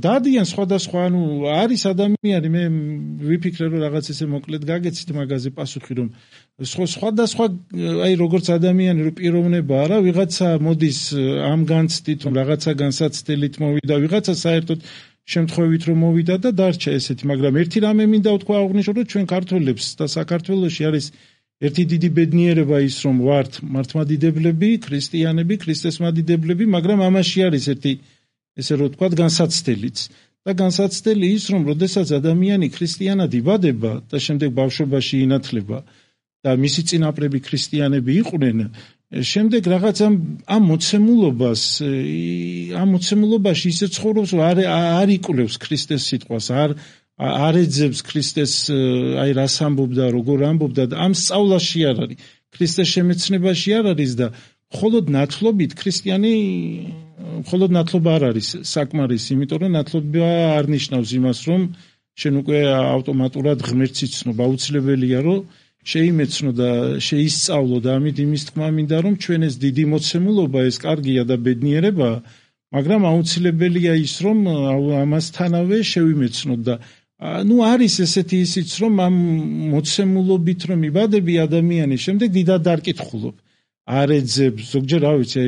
S2: დადიან სხვადასხვა, ანუ არის ადამიანი, მე ვიფიქრე რომ რაღაც ესე მოკლედ გაგეცით მაგაზე პასუხი, რომ სხვადასხვა აი როგორც ადამიანი რო პიროვნება არა, ვიღაცა მოდის ამ განცდით, რომ რაღაცა განსაცდელით მოვიდა, ვიღაცა საერთოდ შემთხვევით რომ მოვიდა და დარჩა ესეთი, მაგრამ ერთი რამე მინდა ვთქვა აღნიშნო, რომ ჩვენ ქართველებს და საქართველოში არის ერთი დიდი ბედნიერება ის, რომ ვართ მართლმადიდებლები, ქრისტიანები, ქრისტესმადიდებლები, მაგრამ ამაში არის ერთი ესე რომ ვთქვა განსაცდელიც. და განსაცდელი ის, რომ როდესაც ადამიანი ქრისტიანად იბადება და შემდეგ ბავშვობაში ინათლება და მისი წინაპრები ქრისტიანები იყვნენ, შემდეგ რაღაც ამ ამ მოცემულობას, ამ მოცემულობაში ისე ცხოვრობს, რომ არ არ იკვლევს ქრისტეს სიტყვას, არ არ ეძებს ქრისტეს, აი რას ამბობდა, როგორ ამბობდა და ამ სწავლაში არ არის, ქრისტეს შემეცნებაში არ არის და მხოლოდ ნათლობით ქრისტიანი, მხოლოდ ნათლობა არ არის საკმარისი, იმიტომ რომ ნათლობა არ ნიშნავს იმას, რომ შენ უკვე ავტომატურად ღმერთს იცნობ, აუცილებელია რომ შეიმეცნო და შეისწავლო და ამით იმის თქმა მინდა რომ ჩვენ ეს დიდი მოცემულობა ეს კარგია და ბედნიერება, მაგრამ აუცილებელია ის რომ ამასთანავე შევიმეცნოთ და ნუ არის ესეთი ისიც რომ ამ მოცემულობით რომ იბადები ადამიანი, შემდეგ დიდად დარკითხულობ. არ ეძებ, ზოგჯერ რა ვიცი,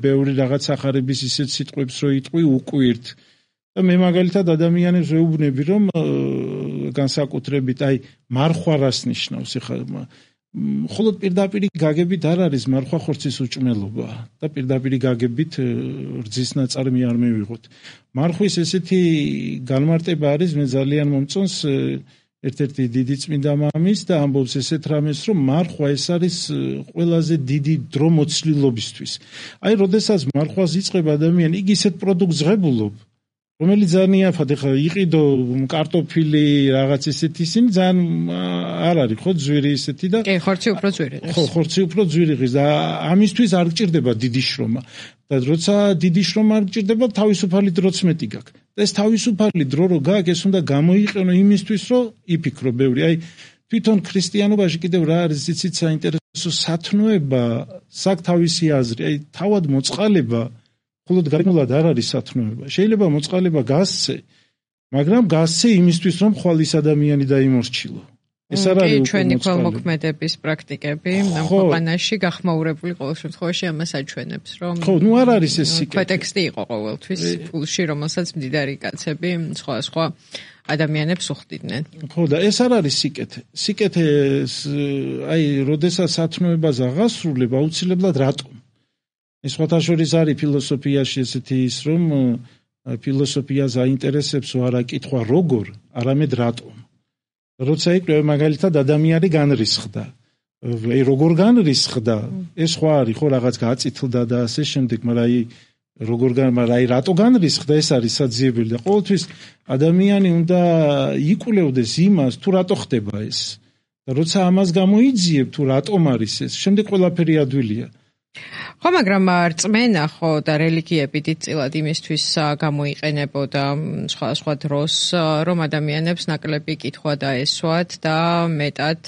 S2: ბევრი რაღაც ახარების ისეთ სიტყვებს რო იტყვი უკვირთ. და მე მაგალითად ადამიანებს ვეუბნები რომ განსაკუთრებით აი მარხვა რას ნიშნავს, ეხლა მხოლოდ პირდაპირი გაგებით არ არის მარხვა ხორცის უჭმელობა და პირდაპირი გაგებით რძის ნაწარმი არ მივიღოთ. მარხვის ესეთი განმარტება არის, მე ძალიან მომწონს ერთ-ერთი დიდი წმინდა მამის და ამბობს ესეთ რამეს, რომ მარხვა ეს არის ყველაზე დიდი დრო მოცლილობისთვის. აი, როდესაც მარხვას იწყებ ადამიანი, იგი ისეთ პროდუქტს ღებულობ, რომელიც ძალიან იაფად, ეხლა იყიდო კარტოფილი რაღაც ისეთი, ისინი ძალიან არ არის, ხო, ძვირი ისეთი და
S1: კი, ხორცი უფრო ძვირი ღირს.
S2: ხო, ხორცი უფრო ძვირი ღირს და ამისთვის არ გჭირდება დიდი შრომა. და როცა დიდი შრომა არ გჭირდება, თავისუფალი დროც მეტი გაქვს. და ეს თავისუფალი დრო რო გაქვს, ეს უნდა გამოიყენო იმისთვის, რომ იფიქრო ბევრი. აი, თვითონ ქრისტიანობაში კიდევ რა არის იცით საინტერესო სათნოება, საკ თავისი აზრი, აი, თავად მოწყალება მხოლოდ გარკვეულად არ არის სათნოება. შეიძლება მოწყალება გასცე, მაგრამ გასცე იმისთვის, რომ ხვალის ადამიანი დაიმორჩილო. ეს არ არის უკვე
S1: ჩვენი ქველმოქმედების პრაქტიკები ამ ქვეყანაში გახმაურებული ყოველ შემთხვევაში ამას აჩვენებს, რომ
S2: ხო, ნუ არ არის ეს სიკეთე.
S1: ქვეტექსტი იყო ყოველთვის ფულში, რომელსაც მდიდარი კაცები სხვა სხვა ადამიანებს უხდიდნენ.
S2: ხო, და ეს არ არის სიკეთე. სიკეთე აი, როდესაც სათნოებას აღასრულებ, აუცილებლად რატომ? ეს სხვათაშორის არის ფილოსოფიაში ესეთი ის, რომ ფილოსოფიას აინტერესებს არა კითხვა როგორ, არამედ რატომ. როცა იკვლევ მაგალითად ადამიანი განრისხდა. აი როგორ განრისხდა? ეს სხვა არის, ხო რაღაც გაწითლდა და ასე შემდეგ, მაგრამ აი როგორ გან, მაგრამ აი რატო განრისხდა, ეს არის საძიებელი და ყოველთვის ადამიანი უნდა იკვლევდეს იმას, თუ რატო ხდება ეს. და როცა ამას გამოიძიებ თუ რატომ არის ეს, შემდეგ ყველაფერი ადვილია.
S1: ხო, მაგრამ რწმენა ხო და რელიგიები დიდწილად იმისთვის გამოიყენებოდა სხვა სხვა დროს, რომ ადამიანებს ნაკლები კითხვა დაესვათ და მეტად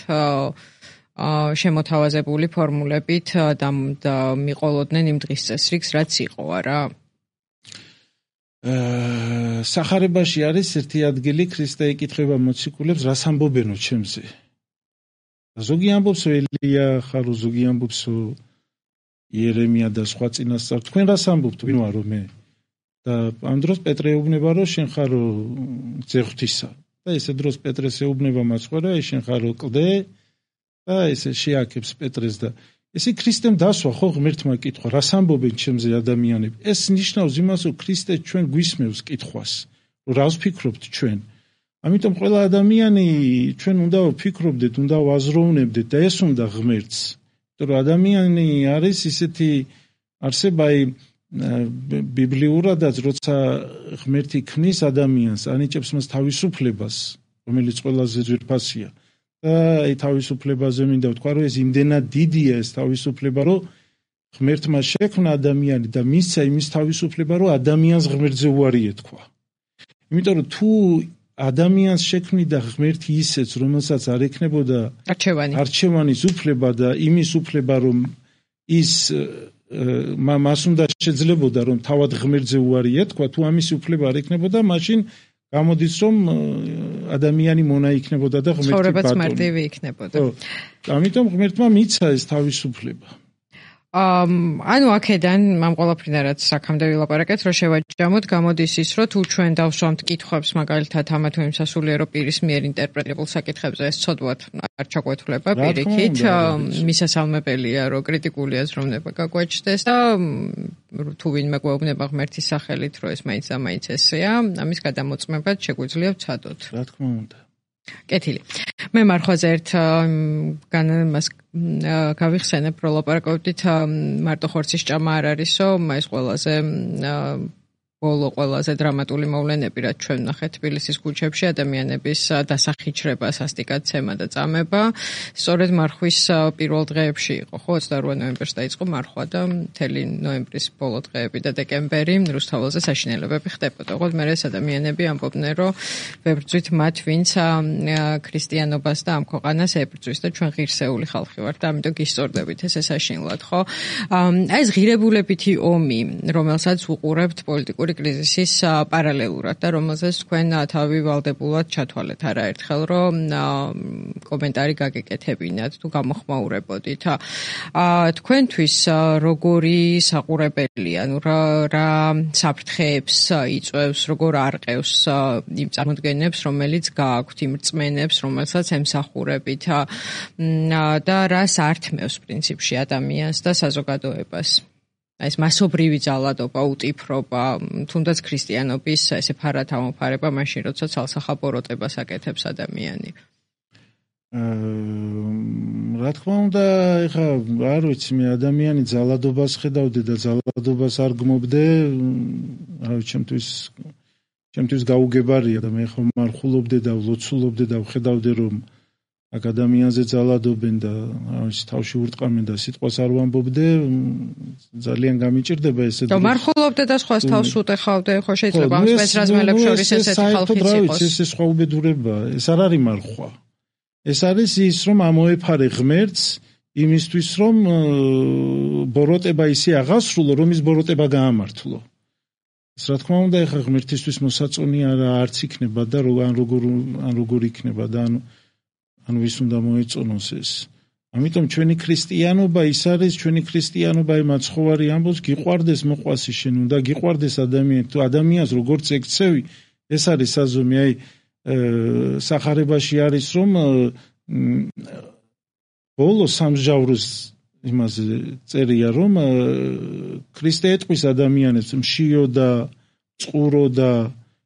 S1: შემოთავაზებული ფორმულებით და მიყოლოდნენ იმ დღის წესრიგს, რაც იყო, არა?
S2: სახარებაში არის ერთი ადგილი, ქრისტე იკითხება მოციქულებს, რას ამბობენო ჩემზე. ზოგი ამბობს ელია ხარო, ზოგი ამბობს იერემია და სხვა წინასწარ. თქვენ რას ამბობთ, ვინ ვარო მე? და ამ დროს პეტრე ეუბნება, რომ შენ ხარო ძეღვთისა. და ესე დროს პეტრეს ეუბნება მაცხოვრა, შენ ხარო კლდე და ესე შეაქებს პეტრეს და ესე ქრისტემ დასვა ხო ღმერთმა კითხვა, რას ამბობენ ჩემზე ადამიანები? ეს ნიშნავს იმას, რომ ქრისტე ჩვენ გვისმევს კითხვას, რომ რას ვფიქრობთ ჩვენ. ამიტომ ყველა ადამიანი ჩვენ უნდა ვფიქრობდეთ, უნდა ვაზროვნებდეთ და ეს უნდა ღმერთს. იმიტომ რომ ადამიანი არის ისეთი არსება, ბიბლიურადაც როცა ღმერთი ქმნის ადამიანს, ანიჭებს მას თავისუფლებას, რომელიც ყველაზე ძვირფასია. და აი თავისუფლებაზე მინდა ვთქვა, რომ ეს იმდენად დიდია ეს თავისუფლება, რომ ღმერთმა შექმნა ადამიანი და მისცა იმის თავისუფლება, რომ ადამიანს ღმერთზე უარი ეთქვა. იმიტომ რომ თუ ადამიანს შექმნიდა ღმერთი ისეც, რომელსაც არ ექნებოდა
S1: არჩევანი.
S2: არჩევანის უფლება და იმის უფლება, რომ ის მას უნდა შეძლებოდა, რომ თავად ღმერთზე უარი ეთქვა, თუ ამის უფლება არ ექნებოდა, მაშინ გამოდის, რომ ადამიანი მონა იქნებოდა და ღმერთი ბატონი.
S1: ცხოვრებაც მარტივი იქნებოდა.
S2: ხო. ამიტომ ღმერთმა მიცა ეს თავისუფლება.
S1: ანუ აქედან ამ ყველაფრიდან რაც აქამდე ვილაპარაკეთ, რომ შევაჯამოთ, გამოდის ის, რომ თუ ჩვენ დავსვამთ კითხვებს, მაგალითად ამა თუ იმ სასულიერო პირის მიერ ინტერპრეტებულ საკითხებზე, ეს ცოდვათ არ ჩაგვეთვლება პირიქით, მისასალმებელია, რომ კრიტიკული აზროვნება გაგვაჩნდეს და თუ ვინმე გვეუბნება ღმერთის სახელით, რომ ეს მაინც და მაინც ესეა, ამის გადამოწმებად შეგვიძლია ვცადოთ.
S2: რა თქმა უნდა.
S1: კეთილი. მე მარხვაზე ერთ განმას გავიხსენებ, რომ ლაპარაკობდით მარტო ხორცის ჭამა არ არისო, ეს ყველაზე ბოლო ყველაზე დრამატული მოვლენები, რაც ჩვენ ვნახეთ თბილისის ქუჩებში, ადამიანების დასახიჩრება, სასტიკაცემა და წამება. სწორედ მარხვის პირველ დღეებში იყო, ხო, ოცდაორ ნოემბერს დაიწყო მარხვა და მთელი ნოემბრის ბოლო დღეები და დეკემბერი რუსთაველზე საშინელებები ხდებოდა. ოღონდ მე ეს ადამიანები ამბობდნენ, რომ ვებრძვით მათ, ვინც ქრისტიანობას და ამ ქვეყანას ებრძვის და ჩვენ ღირსეული ხალხი ვართ და ამიტომ გისწორდებით ესე საშინლად, ხო? აი ეს ღირებულებითი ომი, რომელსაც უყურებთ პოლიტიკურ კრიზისის პარალელურად და რომელზეც თქვენ თავი ვალდებულად ჩათვალეთ არაერთხელ, რომ კომენტარი გაგეკეთებინათ თუ გამოხმაურებოდით. თქვენთვის როგორი საყურებელია, ანუ რა საფრთხეებს იწვევს, როგორ არყევს იმ წარმოდგენებს, რომელიც გააქვთ, იმ რწმენებს, რომელსაც ემსახურებით და რას ართმევს პრინციპში ადამიანს და საზოგადოებას. ეს მასობრივი ძალადობა, უტიფრობა, თუნდაც ქრისტიანობის ესე ფარათავმოფარება მაშინ, როცა ცალსახაბოროტებას აკეთებს ადამიანი.
S2: რა თქმა უნდა, ეხა არ ვიცი, მე ადამიანი ძალადობას ხედავდი და ძალადობას არ გმობდე, რა ვიცი, ჩემთვის ჩემთვის გაუგებარია და მე ხომ მარხულობდე და ვლოცულობდე და ვხედავდე, რომ აქ ადამიანზე ძალადობენ და ის თავში ურტყამენ და სიტყვას არ ვამბობდე, ძალიან გამიჭირდება ესე.
S1: და მარხულობდე და სხვას თავს უტეხავდე, ხო შეიძლება ამ სპეცრაზმელებს შორის ესეთი ხალხიც იყოს.
S2: ეს ეს სხვა უბედურება, ეს არ არის მარხვა. ეს არის ის, რომ ამოეფარე ღმერთს იმისთვის, რომ ბოროტება ისე აღასრულო, რომ ის ბოროტება გაამართლო. ეს რა თქმა უნდა, ეხა ღმერთისთვის მოსაწონი არც იქნება და ან როგორ ან როგორ იქნება და ანუ ანუ ვის უნდა მოეწონოს ეს. ამიტომ ჩვენი ქრისტიანობა ის არის, ჩვენი ქრისტიანობა იმ მაცხოვარი ამბობს, გიყვარდეს მოყვასი შენ, უნდა გიყვარდეს ადამიანი, თუ ადამიანს როგორც ეკცევი, ეს არის საზომი, აი სახარებაში არის, რომ ბოლო სამსჯავროს იმაზე წერია, რომ ქრისტე ეტყვის ადამიანებს, მშიო და წყურო და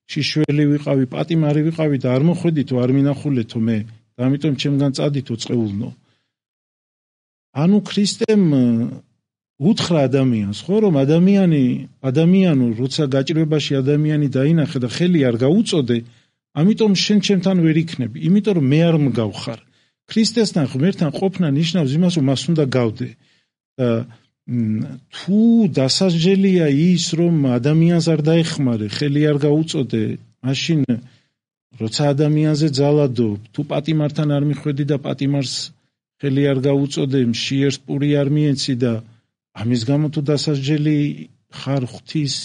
S2: შიშველი ვიყავი, პატიმარი ვიყავი და არ მოხვედითო, არ მინახულეთო მე. ამიტომ ჩემგან წადითო წეულნო. ანუ ქრისტემ უთხრა ადამიანს, ხო, რომ ადამიანი, ადამიანო, როცა გაჭირვებაში ადამიანი დაინახე და ხელი არ გაუწოდე, ამიტომ შენ ჩემთან ვერ იქნები, იმიტომ რომ მე არ მგავხარ. ქრისტესთან ღმერთთან ყოფნა ნიშნავს იმას, რომ მას უნდა გავდე. და თუ დასაჯელია ის, რომ ადამიანს არ დაეხმარე, ხელი არ გაუწოდე, მაშინ როცა ადამიანზე ძალადობ, თუ პატიმართან არ მიხვედი და პატიმარს ხელი არ გაუწოდე, მშიერს პური არ მიეცი და ამის გამო თუ დასაჯელი ხარ ღვთის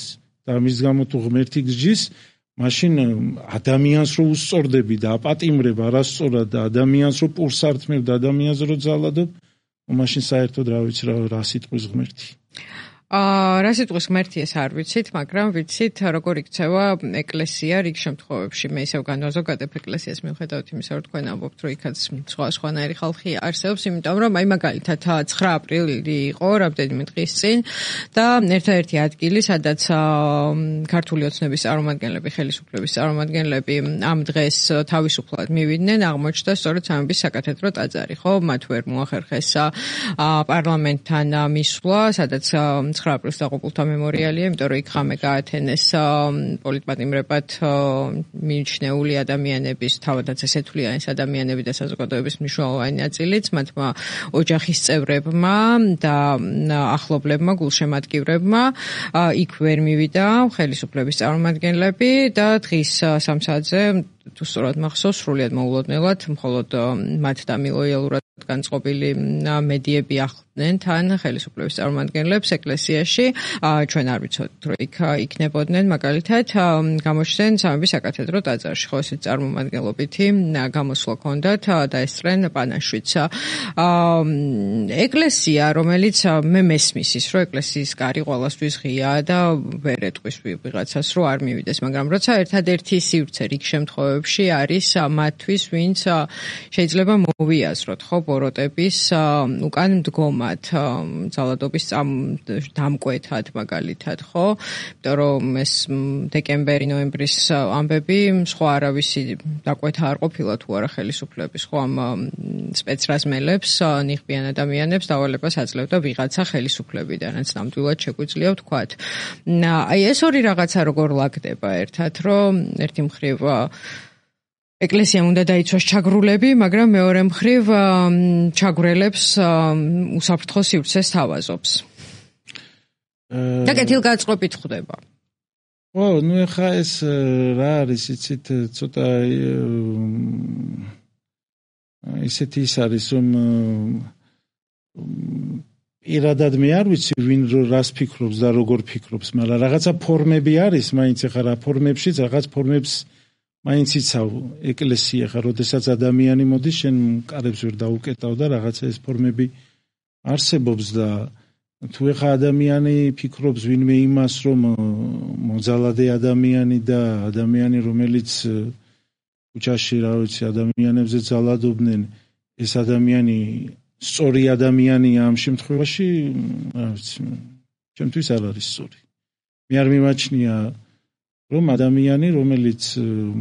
S2: და ამის გამო თუ ღმერთი გსჯის, მაშინ ადამიანს რო უსწორდები და აპატიმრებ არასწორად და ადამიანს რო პურს ართმევ და ადამიანს რო ძალადობ, მაშინ საერთოდ რა ვიცი რა სიტყვის ღმერთი.
S1: აა რა სიტყვის ღმერთი ეს არ ვიცით, მაგრამ ვიცით როგორ იქცევა ეკლესია რიგ შემთხვევებში. მე ისევ განვაზოგადებ ეკლესიას მიუხედავად იმისა, რომ თქვენ ამბობთ, რომ იქაც სხვა სხვანაირი ხალხი არსებობს, იმიტომ რომ აი მაგალითად ცხრა აპრილი იყო რამდენიმე დღის წინ და ერთადერთი ადგილი, სადაც ქართული ოცნების წარმომადგენლები, ხელისუფლების წარმომადგენლები ამ დღეს თავისუფლად მივიდნენ, აღმოჩნდა სწორედ სამების საკათედრო ტაძარი, ხო? მათ ვერ მოახერხეს პარლამენტთან მისვლა, სადაც ცხრა აპრილს დაღუპულთა მემორიალია, იმიტომ რომ იქ ხამე გაათენეს პოლიტპატიმრებად მიჩნეული ადამიანების, თავადაც ესე თვლიან ეს ადამიანები და საზოგადოების მნიშვნელოვანი ნაწილიც, მათმა ოჯახის წევრებმა და ახლობლებმა, გულშემატკივრებმა, იქ ვერ მივიდა ხელისუფლების წარმომადგენლები და დღის სამ საათზე თუ სწორად მახსოვს, სრულიად მოულოდნელად, მხოლოდ მათ და მილოიალურად განწყობილი მედიები ახლდნენ თან ხელისუფლების წარმომადგენლებს ეკლესიაში. ჩვენ არ ვიცოდით, რომ იქ იქნებოდნენ მაგალითად გამოჩნდნენ სამების საკათედრო ტაძარში, ხო ესეც წარმომადგენლობითი გამოსვლა ჰქონდათ და ესწრენ პანაშვიდს. ეკლესია, რომელიც მე მესმის ის, რომ ეკლესიის კარი ყველასთვის ღიაა და ვერ ეტყვის ვიღაცას, რომ არ მივიდეს, მაგრამ როცა ერთადერთი სივრცე რიგ შემთხვევებში არის მათთვის, ვინც შეიძლება მოვიაზროთ, ხო, ბოროტების უკან მდგომად, ძალადობის დამკვეთად მაგალითად, ხო? იმიტომ რომ ეს დეკემბერი, ნოემბრის ამბები სხვა არავისი დაკვეთა არ ყოფილა თუ არა ხელისუფლების, ხო, ამ სპეცრაზმელებს, ნიღბიან ადამიანებს დავალებას აძლევდა ვიღაცა ხელისუფლებიდან, რაც ნამდვილად შეგვიძლია ვთქვათ. აი ეს ორი რაღაცა როგორ ლაგდება ერთად, რომ ერთი მხრივ ეკლესიამ უნდა დაიცვას ჩაგრულები, მაგრამ მეორე მხრივ ჩაგვრელებს უსაფრთხო სივრცეს თავაზობს. და კეთილგანწყობით ხდება.
S2: ო, ნუ ეხა ეს რა არის, იცით, ცოტა ისეთი ის არის, რომ პირადად მე არ ვიცი ვინ რას ფიქრობს და როგორ ფიქრობს, მაგრამ რაღაცა ფორმები არის, მაინც ეხა რა ფორმებშიც, რაღაც ფორმებს მაინც იცავ ეკლესია ხარ, როდესაც ადამიანი მოდის, შენ კარებს ვერ დაუკეტავ და რაღაცა ეს ფორმები არსებობს და თუ ეხა ადამიანი ფიქრობს ვინმე იმას, რომ მოძალადე ადამიანი და ადამიანი, რომელიც ქუჩაში, რა ვიცი, ადამიანებზე ძალადობდნენ, ეს ადამიანი სწორი ადამიანია ამ შემთხვევაში, რა ვიცი, ჩემთვის არ არის სწორი. მე არ მიმაჩნია რომ ადამიანი, რომელიც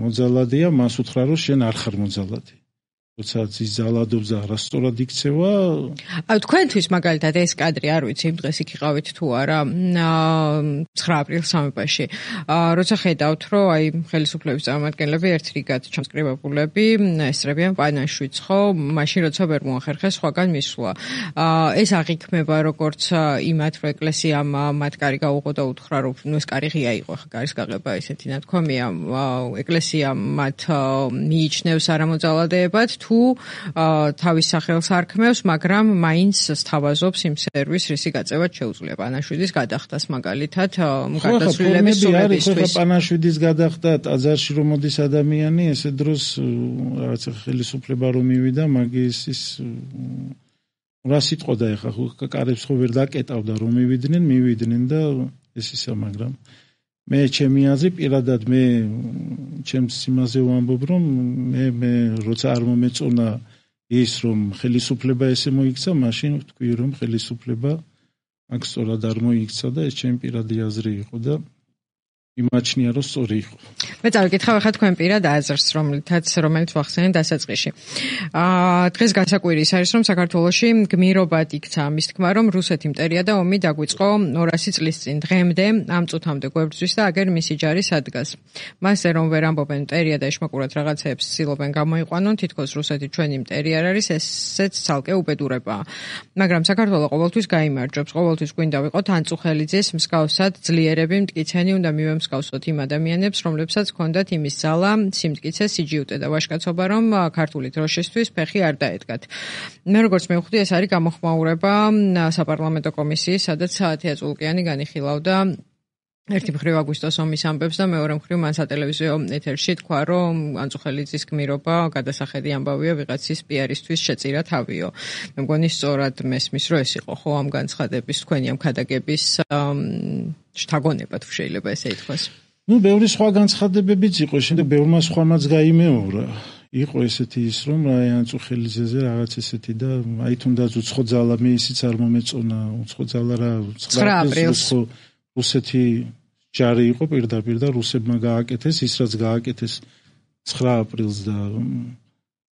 S2: მოძალადეა, მას უთხრა, რომ შენ არ ხარ მოძალადე. როცა ის ძალადობს და არასწორად იქცევა.
S1: აი, თქვენთვის მაგალითად ეს კადრი არ ვიცი, იმ დღეს იქ იყავით თუ არა, ცხრა აპრილს სამებაში. როცა ხედავთ, რომ აი ხელისუფლების წარმომადგენლები ერთ რიგად ჩამსკრივებულები ესწრებიან პანაშვიდს, ხო, მაშინ როცა ვერ მოახერხეს სხვაგან მისვლა. ეს აღიქმება როგორც იმათ, რომ ეკლესიამ მათ კარი გაუღო და უთხრა, რომ ნუ ეს კარი ღია იყო, ხა კარის გაღება ესეთი ნათქვამია. ეკლესია მათ მიიჩნევს არამოძალადეებად თუ თავის სახელს არქმევს, მაგრამ მაინც სთავაზობს იმ სერვისს, რისი გაწევად შეუძლია პანაშვიდის გადახდას მაგალითად გარდაცვლილების სურვილისთვის.
S2: ხო, პანაშვიდის გადახდა ტაძარში რომ მოდის ადამიანი, ესე დროს რაღაცა ხელისუფლება რომ მივიდა, მაგის ის რა სიტყოდა ეხა, ხო კარებს ხო ვერ დაკეტავდა რომ მივიდნენ, მივიდნენ და ეს ისა, მაგრამ მე ჩემი აზრი პირადად მე ჩემს იმაზე ვამბობ, რომ მე მე როცა არ მომეწონა ის, რომ ხელისუფლება ესე მოიქცა, მაშინ ვთქვი, რომ ხელისუფლება აქ სწორად არ მოიქცა და ეს ჩემი პირადი აზრი იყო და იმაჩნია რომ სწორი იყო.
S1: მე წავიკითხავ ახლა თქვენ პირად აზრს, რომელთაც რომელიც ვახსენე დასაწყისში. აა დღეს გასაკვირის არის რომ საქართველოში გმირობად იქცა ამის თქმა რომ რუსეთი მტერია და ომი დაგვიწყო ორასი წლის წინ. დღემდე ამ წუთამდე გვებრძვის და აგერ მისი ჯარი სადგას. მასზე რომ ვერ ამბობენ მტერია და ეშმაკურად რაღაცეებს ცდილობენ გამოიყვანონ, თითქოს რუსეთი ჩვენი მტერი არ არის, ესეც ცალკე უბედურებაა. მაგრამ საქართველო ყოველთვის გაიმარჯვებს, ყოველთვის გვინდა ვიყოთ ანწუხელიძეს მსგავსად ძლიერები მტკიცენი უნდა მივემ მსგავსოთ იმ ადამიანებს, რომლებსაც ჰქონდათ იმის ძალა, სიმტკიცე, სიჯიუტე და ვაჟკაცობა, რომ ქართული დროშისთვის ფეხი არ დაედგათ. მე როგორც მევხვდი, ეს არის გამოხმაურება საპარლამენტო კომისიის, სადაც თეა წულკიანი განიხილავდა ერთი მხრივ აგვისტოს ომის ამბებს და მეორე მხრივ მან სატელევიზიო ეთერში თქვა, რომ ანწუხელიძის გმირობა გადასახედი ამბავია ვიღაცის პიარისთვის შეწირა თავიო. მე მგონი სწორად მესმის, რომ ეს იყო ხო ამ განცხადების თქვენი ამ ქადაგების შთაგონებად შეიძლება ესე ითქვას.
S2: ნუ ბევრი სხვა განცხადებებიც იყო, შემდეგ ბევრმა სხვამაც გაიმეორა. იყო ესეთი ის რომ აი ანწუხელიძეზე რაღაც ესეთი და აი თუნდაც უცხო ძალა მე ისიც არ მომეწონა, უცხო ძალა რა
S1: ცხრა აპრილს
S2: რუსეთი ჯარი იყო პირდაპირ და რუსებმა გააკეთეს ის რაც გააკეთეს ცხრა აპრილს და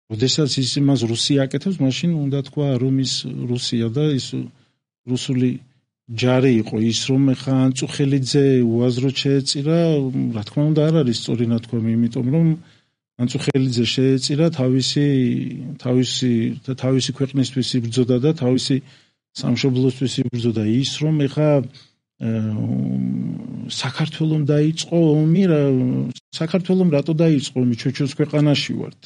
S2: როდესაც ის იმას რუსია აკეთებს, მაშინ უნდა თქვა რომ ის რუსია და ის რუსული ჯარი იყო ის რომ ხა ანწუხელიძე უაზროდ შეეწირა, რა თქმა უნდა არ არის სწორი ნათქვამი, იმიტომ რომ ანწუხელიძე შეეწირა თავისი თავისი თავისი ქვეყნისთვის იბრძოდა და თავისი სამშობლოსთვის იბრძოდა. ის რომ ხა საქართველოს დაიწყო ომი, საქართველოს რატო დაიწყო ომი? ჩვენს ქვეყანაში ვართ.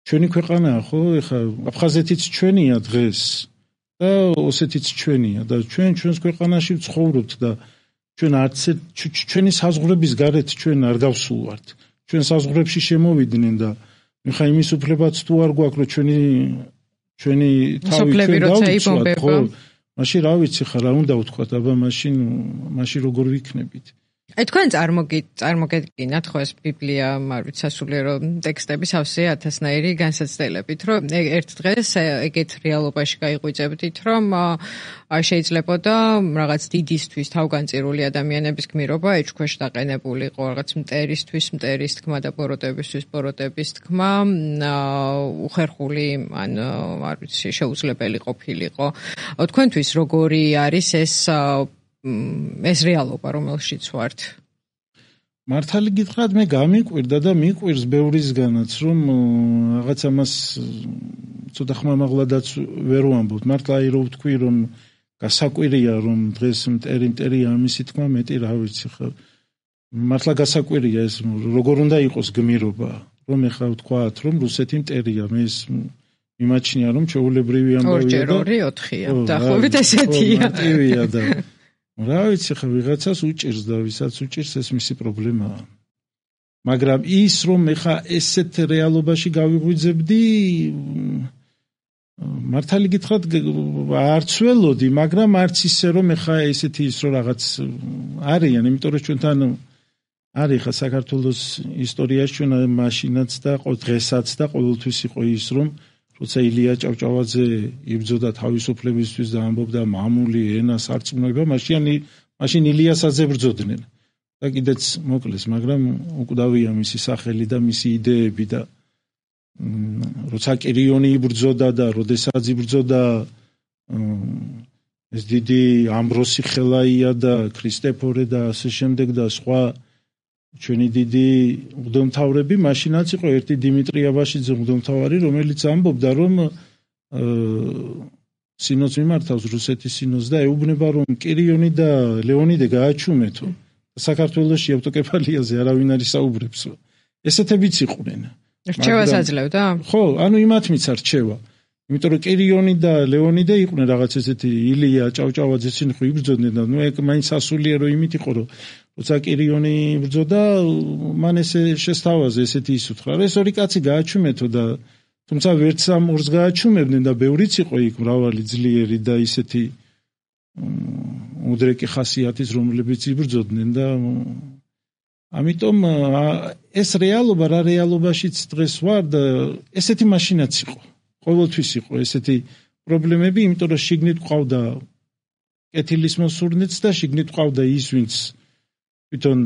S2: ჩვენი ქვეყანაა ხო? ეხა აფხაზეთიც ჩვენია დღეს და ოსეთიც ჩვენია და ჩვენ ჩვენს ქვეყანაში ვცხოვრობთ და ჩვენ არც ჩვენი საზღვრების გარეთ ჩვენ არ გავსულვართ. ჩვენ საზღვრებში შემოვიდნენ და ხა იმის უფლებაც თუ არ გვაქვს რომ ჩვენი ჩვენი თავი ჩვენ დავიცვათ, მაშინ რა ვიცი ხა რა უნდა ვთქვათ, აბა მაშინ მაშინ როგორ ვიქნებით?
S1: აი თქვენ წარმოგედგინათ ხო ეს ბიბლია, არ ვიცი, სასულიერო ტექსტები სავსე ათასნაირი განსაცდელებით, რომ ერთ დღეს ეგეთ რეალობაში გაიღვიძებდით, რომ შეიძლებოდა რაღაც დიდისთვის თავგანწირული ადამიანების გმირობა ეჭქვეშ დაყენებულიყო, რაღაც მტერისთვის მტერის თქმა და ბოროტებისთვის ბოროტების თქმა, უხერხული ან არ ვიცი, შეუძლებელი ყოფილიყო. თქვენთვის როგორი არის ეს ეს რეალობა, რომელშიც ვართ?
S2: მართალი გითხრათ, მე გამიკვირდა და მიკვირს ბევრისგანაც, რომ რაღაც ამას ცოტა ხმამაღლადაც ვერ ვამბობთ. მართლა აი რო ვთქვი, რომ გასაკვირია, რომ დღეს მტერი მტერია ამისი თქმა მეტი რა ვიცი ხა. მართლა გასაკვირია ეს, როგორ უნდა იყოს გმირობა, რომ ეხლა ვთქვათ, რომ რუსეთი მტერია, მე ეს მიმაჩნია, რომ ჩვეულებრივი ამბავია და
S1: ორჯერ ორი ოთხია, დაახლოებით ესეთია.
S2: მარტივია და რა ვიცი ხა ვიღაცას უჭირს და ვისაც უჭირს ეს მისი პრობლემაა. მაგრამ ის რომ ეხა ესეთ რეალობაში გავიღვიძებდი, მართალი გითხრათ არც ველოდი, მაგრამ არც ისე რომ ეხა ესეთი ის რომ რაღაც არიან, იმიტომ რომ ჩვენთან არის ხა საქართველოს ისტორიაში ჩვენ მაშინაც და დღესაც და ყოველთვის იყო ის რომ როცა ილია ჭავჭავაძე იბრძოდა თავისუფლებისთვის და ამბობდა მამული ენა სარწმუნოება, მაშინ მაშინ ილიასაც ებრძოდნენ და კიდეც მოკლეს, მაგრამ უკვდავია მისი სახელი და მისი იდეები და როცა კირიონი იბრძოდა და როდესაც იბრძოდა ეს დიდი ამბროსი ხელაია და ქრისტეფორე და ასე შემდეგ და სხვა ჩვენი დიდი მღვდელმთავრები, მაშინაც იყო ერთი დიმიტრი აბაშიძე მღვდელმთავარი, რომელიც ამბობდა, რომ სინოდს მიმართავს რუსეთის სინოდს და ეუბნება, რომ კირიონი და ლეონიდე გააჩუმეთო. საქართველოში ავტოკეფალიაზე არავინ არ ისაუბრებს. ესეთებიც იყვნენ.
S1: რჩევას აძლევდა?
S2: ხო, ანუ იმათმიც არ რჩევა. იმიტომ რომ კირიონი და ლეონიდე იყვნენ რაღაც ესეთი ილია ჭავჭავაძეს წინ ხო იბრძოდნენ და ნუ ეგ მაინც სასულიერო იმით იყო, რომ როცა კირიონი იბრძოდა, მან ესე შესთავაზე ესეთი ის უთხრა, რომ ეს ორი კაცი გააჩუმეთო და თუმცა ვერც ამ ორს გააჩუმებდნენ და ბევრიც იყო იქ მრავალი ძლიერი და ისეთი უდრეკი ხასიათის, რომლებიც იბრძოდნენ და ამიტომ ეს რეალობა რა რეალობაშიც დღეს ვარ და ესეთი მაშინაც იყო. ყოველთვის იყო ესეთი პრობლემები, იმიტომ რომ შიგნით ყავდა კეთილის მოსურნეც და შიგნით ყავდა ის, ვინც თვითონ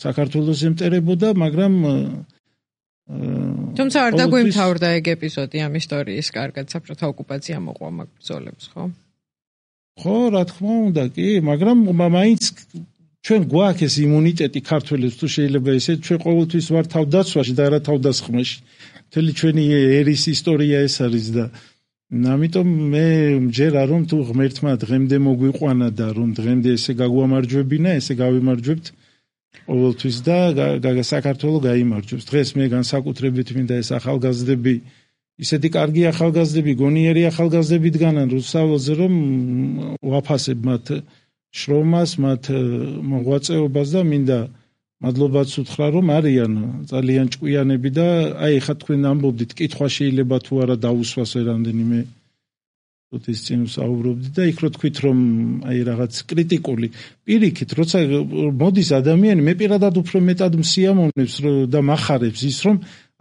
S2: საქართველოს ემტერებოდა, მაგრამ
S1: თუმცა არ დაგვიმთავრდა ეგ ეპიზოდი ამ ისტორიის კარგად, საბჭოთა ოკუპაცია მოყვა მაგ ბრძოლებს, ხო?
S2: ხო, რა თქმა უნდა, კი, მაგრამ მაინც ჩვენ გვაქვს ეს იმუნიტეტი ქართველებს, თუ შეიძლება ესე, ჩვენ ყოველთვის ვარ თავდაცვაში და არა თავდასხმაში. მთელი ჩვენი ერის ისტორია ეს არის და ამიტომ მე მჯერა რომ თუ ღმერთმა დღემდე მოგვიყვანა და რომ დღემდე ესე გაგვამარჯვებინა, ესე გავიმარჯვებთ ყოველთვის და საქართველო გაიმარჯვებს. დღეს მე განსაკუთრებით მინდა ეს ახალგაზრდები, ისეთი კარგი ახალგაზრდები, გონიერი ახალგაზრდები დგანან რუსთაველზე, რომ ვაფასებ მათ შრომას, მათ მოღვაწეობას და მინდა მადლობაც უთხრა, რომ არიან ძალიან ჭკვიანები და აი ხა თქვენ ამბობდით, კითხვა შეიძლება თუ არა დაუსვას რამდენიმე ის წინ საუბრობდით და იქ რო თქვით, რომ აი რაღაც კრიტიკული პირიქით, როცა მოდის ადამიანი, მე პირადად უფრო მეტად მსიამოვნებს და მახარებს ის, რომ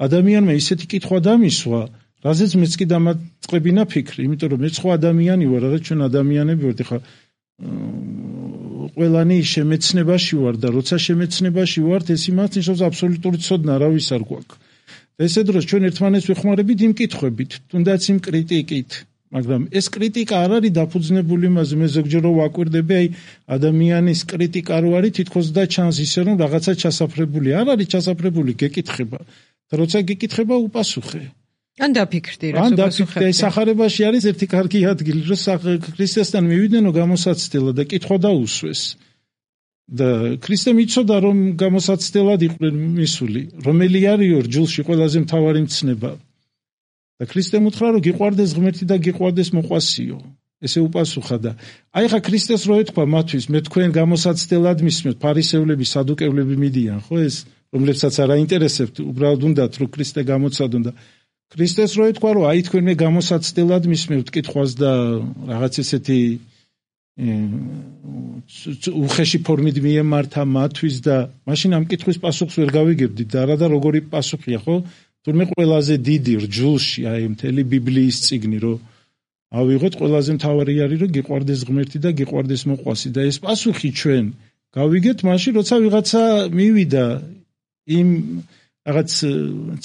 S2: ადამიანმა ისეთი კითხვა დამისვა, რაზეც მეც კი დამაწყებინა ფიქრი, იმიტომ რომ მეც ხო ადამიანი ვარ, რაღაც ჩვენ ადამიანები ვართ, ხა ყველანი შემეცნებაში ვარ და როცა შემეცნებაში ვართ, ეს იმას ნიშნავს აბსოლუტური ცოდნა რავის არ გვაქვს. ესე დროს ჩვენ ერთმანეთს ვეხმარებით იმ კითხვებით, თუნდაც იმ კრიტიკით, მაგრამ ეს კრიტიკა არ არის დაფუძნებული იმაზე, მე ზოგჯერ ვაკვირდები, აი ადამიანის კრიტიკა რო არის, თითქოს და ჩანს ისე რომ რაღაცა ჩასაფრებული, არ არის ჩასაფრებული, გეკითხება და როცა გეკითხება უპასუხე.
S1: ან დაფიქრდი რა
S2: ან დაფიქრდი, სახარებაში არის ერთი კარგი ადგილი, რომ ქრისტესთან მივიდნენ გამოსაცდელად და კითხვა დაუსვეს. და ქრისტემ იცოდა რომ გამოსაცდელად იყვნენ მისული, რომელი არისო ჯულში ყველაზე მთავარი მცნება. და ქრისტემ უთხრა რომ გიყვარდეს ღმერთი და გიყვარდეს მოყვასიო. ესე უპასუხა და აი ხა ქრისტეს რო ეთქვა მათთვის, მე თქვენ გამოსაცდელად მისმენთ, ფარისევლები, სადუკევლები მიდიან, ხო ეს, რომლებსაც არ აინტერესებთ, უბრალოდ უნდათ რომ ქრისტე გამოცადონ და ქრისტეს რო ეთქვა რომ აი თქვენ მე გამოსაცდელად მისმენთ კითხვას და რაღაც ესეთი უხეში ფორმით მიემართა მათთვის და მაშინ ამ კითხვის პასუხს ვერ გავიგებდით და არა და როგორი პასუხია, ხო? თურმე ყველაზე დიდი რჯულში აი მთელი ბიბლიის წიგნი რომ ავიღოთ, ყველაზე მთავარი არის რომ გიყვარდეს ღმერთი და გიყვარდეს მოყვასი და ეს პასუხი ჩვენ გავიგეთ მაშინ როცა ვიღაცა მივიდა იმ რაღაც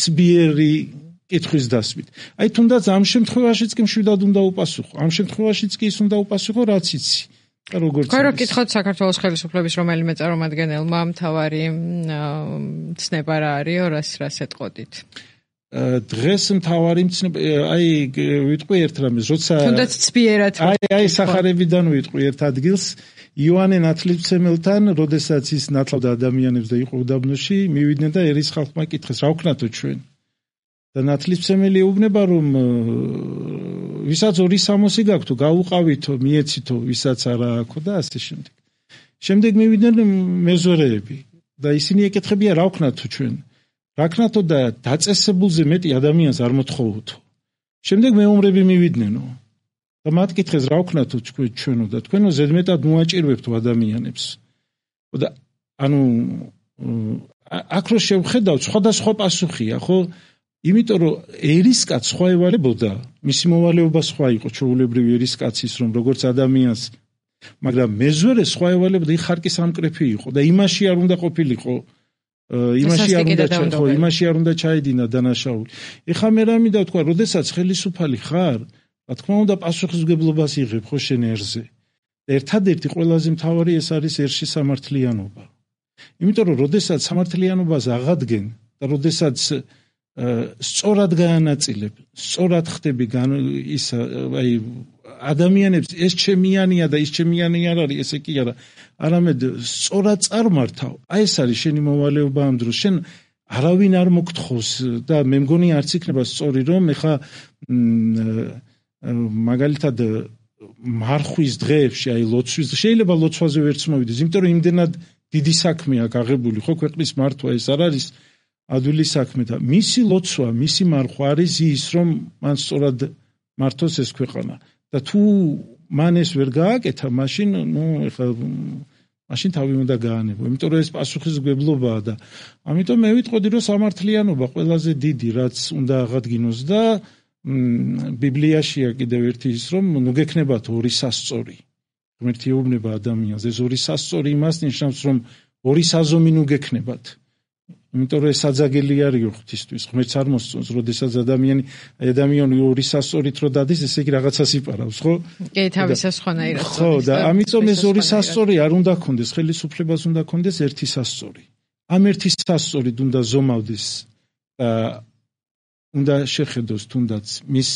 S2: ცბიერი კითხვის დასმით. აი თუნდაც ამ შემთხვევაშიც კი მშვიდად უნდა უპასუხო. ამ შემთხვევაშიც კი ის უნდა უპასუხო, რაც იცი. და როგორც
S1: ხო, რო კითხოთ საქართველოს ხელისუფლების რომელიმე წარმომადგენელმა მთავარი ცნება რა არისო, რას რას ეტყოდით?
S2: დღეს მთავარი მცნება, აი ვიტყვი ერთ რამეს, როცა
S1: თუნდაც ცბიერად
S2: აი აი სახარებიდან ვიტყვი ერთ ადგილს, იოანე ნათლისმცემელთან, როდესაც ის ნათლავდა ადამიანებს და იყო უდაბნოში, მივიდნენ და ერის ხალხმა კითხეს, რა ვქნათო ჩვენ? და ნათლისმცემელი ეუბნება რომ ვისაც ორი სამოსი გაქვთ, გაუყავითო, მიეცითო, ვისაც არა აქვს და ასე შემდეგ. შემდეგ მივიდნენ მეზორეები და ისინი ეკითხებიან რა ვქნათო ჩვენ? რა ვქნათო და დაწესებულზე მეტი ადამიანს არ მოთხოვოთო. შემდეგ მეომრები მივიდნენო და მათ კითხეს რა ვქნათო ჩვენო და თქვენო ზედმეტად მოაჭირვებთო ადამიანებს. და ანუ აქ რო შევხედავთ, სხვადასხვა პასუხია, ხო? იმიტომ რომ ერისკაც სხვა ევალებოდა, მისი მოვალეობა სხვა იყო, ჩვეულებრივი ერისკაცის, რომ როგორც ადამიანს, მაგრამ მეზორე სხვა ევალებოდა, ის ხარკის ამკრეფი იყო და იმაში არ უნდა ყოფილიყო, იმაში არ უნდა ხო, იმაში არ უნდა ჩაედინა დანაშაული. ეხლა მე რა მინდა ვთქვა, როდესაც ხელისუფალი ხარ, რა თქმა უნდა პასუხისმგებლობას იღებ ხო შენ ერზე. ერთადერთი ყველაზე მთავარი ეს არის ერში სამართლიანობა. იმიტომ რომ როდესაც სამართლიანობას აღადგენ და როდესაც სწორად გაანაწილებ, სწორად ხდები ის აი ადამიანებს ეს ჩემიანია და ის ჩემიანი არ არის, ესე კი არა, არამედ სწორად წარმართავ. აი ეს არის შენი მოვალეობა ამ დროს. შენ არავინ არ მოგთხოვს და მე მგონი არც იქნება სწორი რომ ეხა მაგალითად მარხვის დღეებში, აი ლოცვის, შეიძლება ლოცვაზე ვერც მოვიდეს, იმიტომ რომ იმდენად დიდი საქმეა გაღებული, ხო, ქვეყნის მართვა ეს არ არის ადვილი საქმე და მისი ლოცვა, მისი მარხვა არის ის, რომ მან სწორად მართოს ეს ქვეყანა. და თუ მან ეს ვერ გააკეთა, მაშინ, ნუ, ეხლა მაშინ თავი უნდა გაანებო. იმიტომ რომ ეს პასუხისმგებლობაა და ამიტომ მე ვიტყოდი, რომ სამართლიანობა ყველაზე დიდი, რაც უნდა აღადგინოს და ბიბლიაშია კიდევ ერთი ის, რომ ნუ გექნებათ ორი სასწორი. ღმერთი ეუბნება ადამიანს, ეს ორი სასწორი იმას ნიშნავს, რომ ორი საზომი ნუ გექნებათ. იმიტომ რომ ეს საძაგელი არის ღვთისთვის, ღმერთს არ მოსწონს, როდესაც ადამიანი ადამიანი ორი სასწორით რო დადის, ესე იგი რაღაცას იპარავს, ხო?
S1: კი, თავისას ხონაირად.
S2: ხო, და ამიტომ ეს ორი სასწორი არ უნდა ქონდეს, ხელისუფლებას უნდა ქონდეს ერთი სასწორი. ამ ერთი სასწორით უნდა ზომავდეს და უნდა შეხედოს თუნდაც მის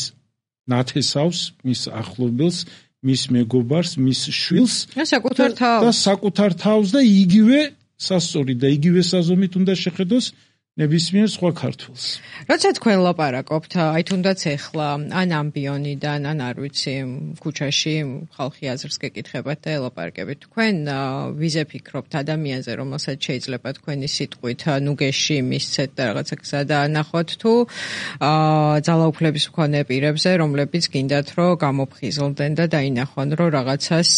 S2: ნათესავს, მის ახლობელს, მის მეგობარს, მის შვილს
S1: და საკუთარ თავს
S2: და საკუთარ თავს და იგივე სასწორი და იგივე საზომით უნდა შეხედოს ნებისმიერ სხვა ქართველს.
S1: როცა თქვენ ლაპარაკობთ, აი თუნდაც ეხლა ან ამბიონიდან, ან არ ვიცი, ქუჩაში ხალხი აზრს გეკითხებათ და ელაპარაკებით. თქვენ ვიზე ფიქრობთ ადამიანზე, რომელსაც შეიძლება თქვენი სიტყვით ნუგეში მისცეთ და რაღაცა გზა დაანახოთ, თუ ძალაუფლების მქონე პირებზე, რომლებიც გინდათ, რომ გამოფხიზლდნენ და დაინახონ, რომ რაღაცას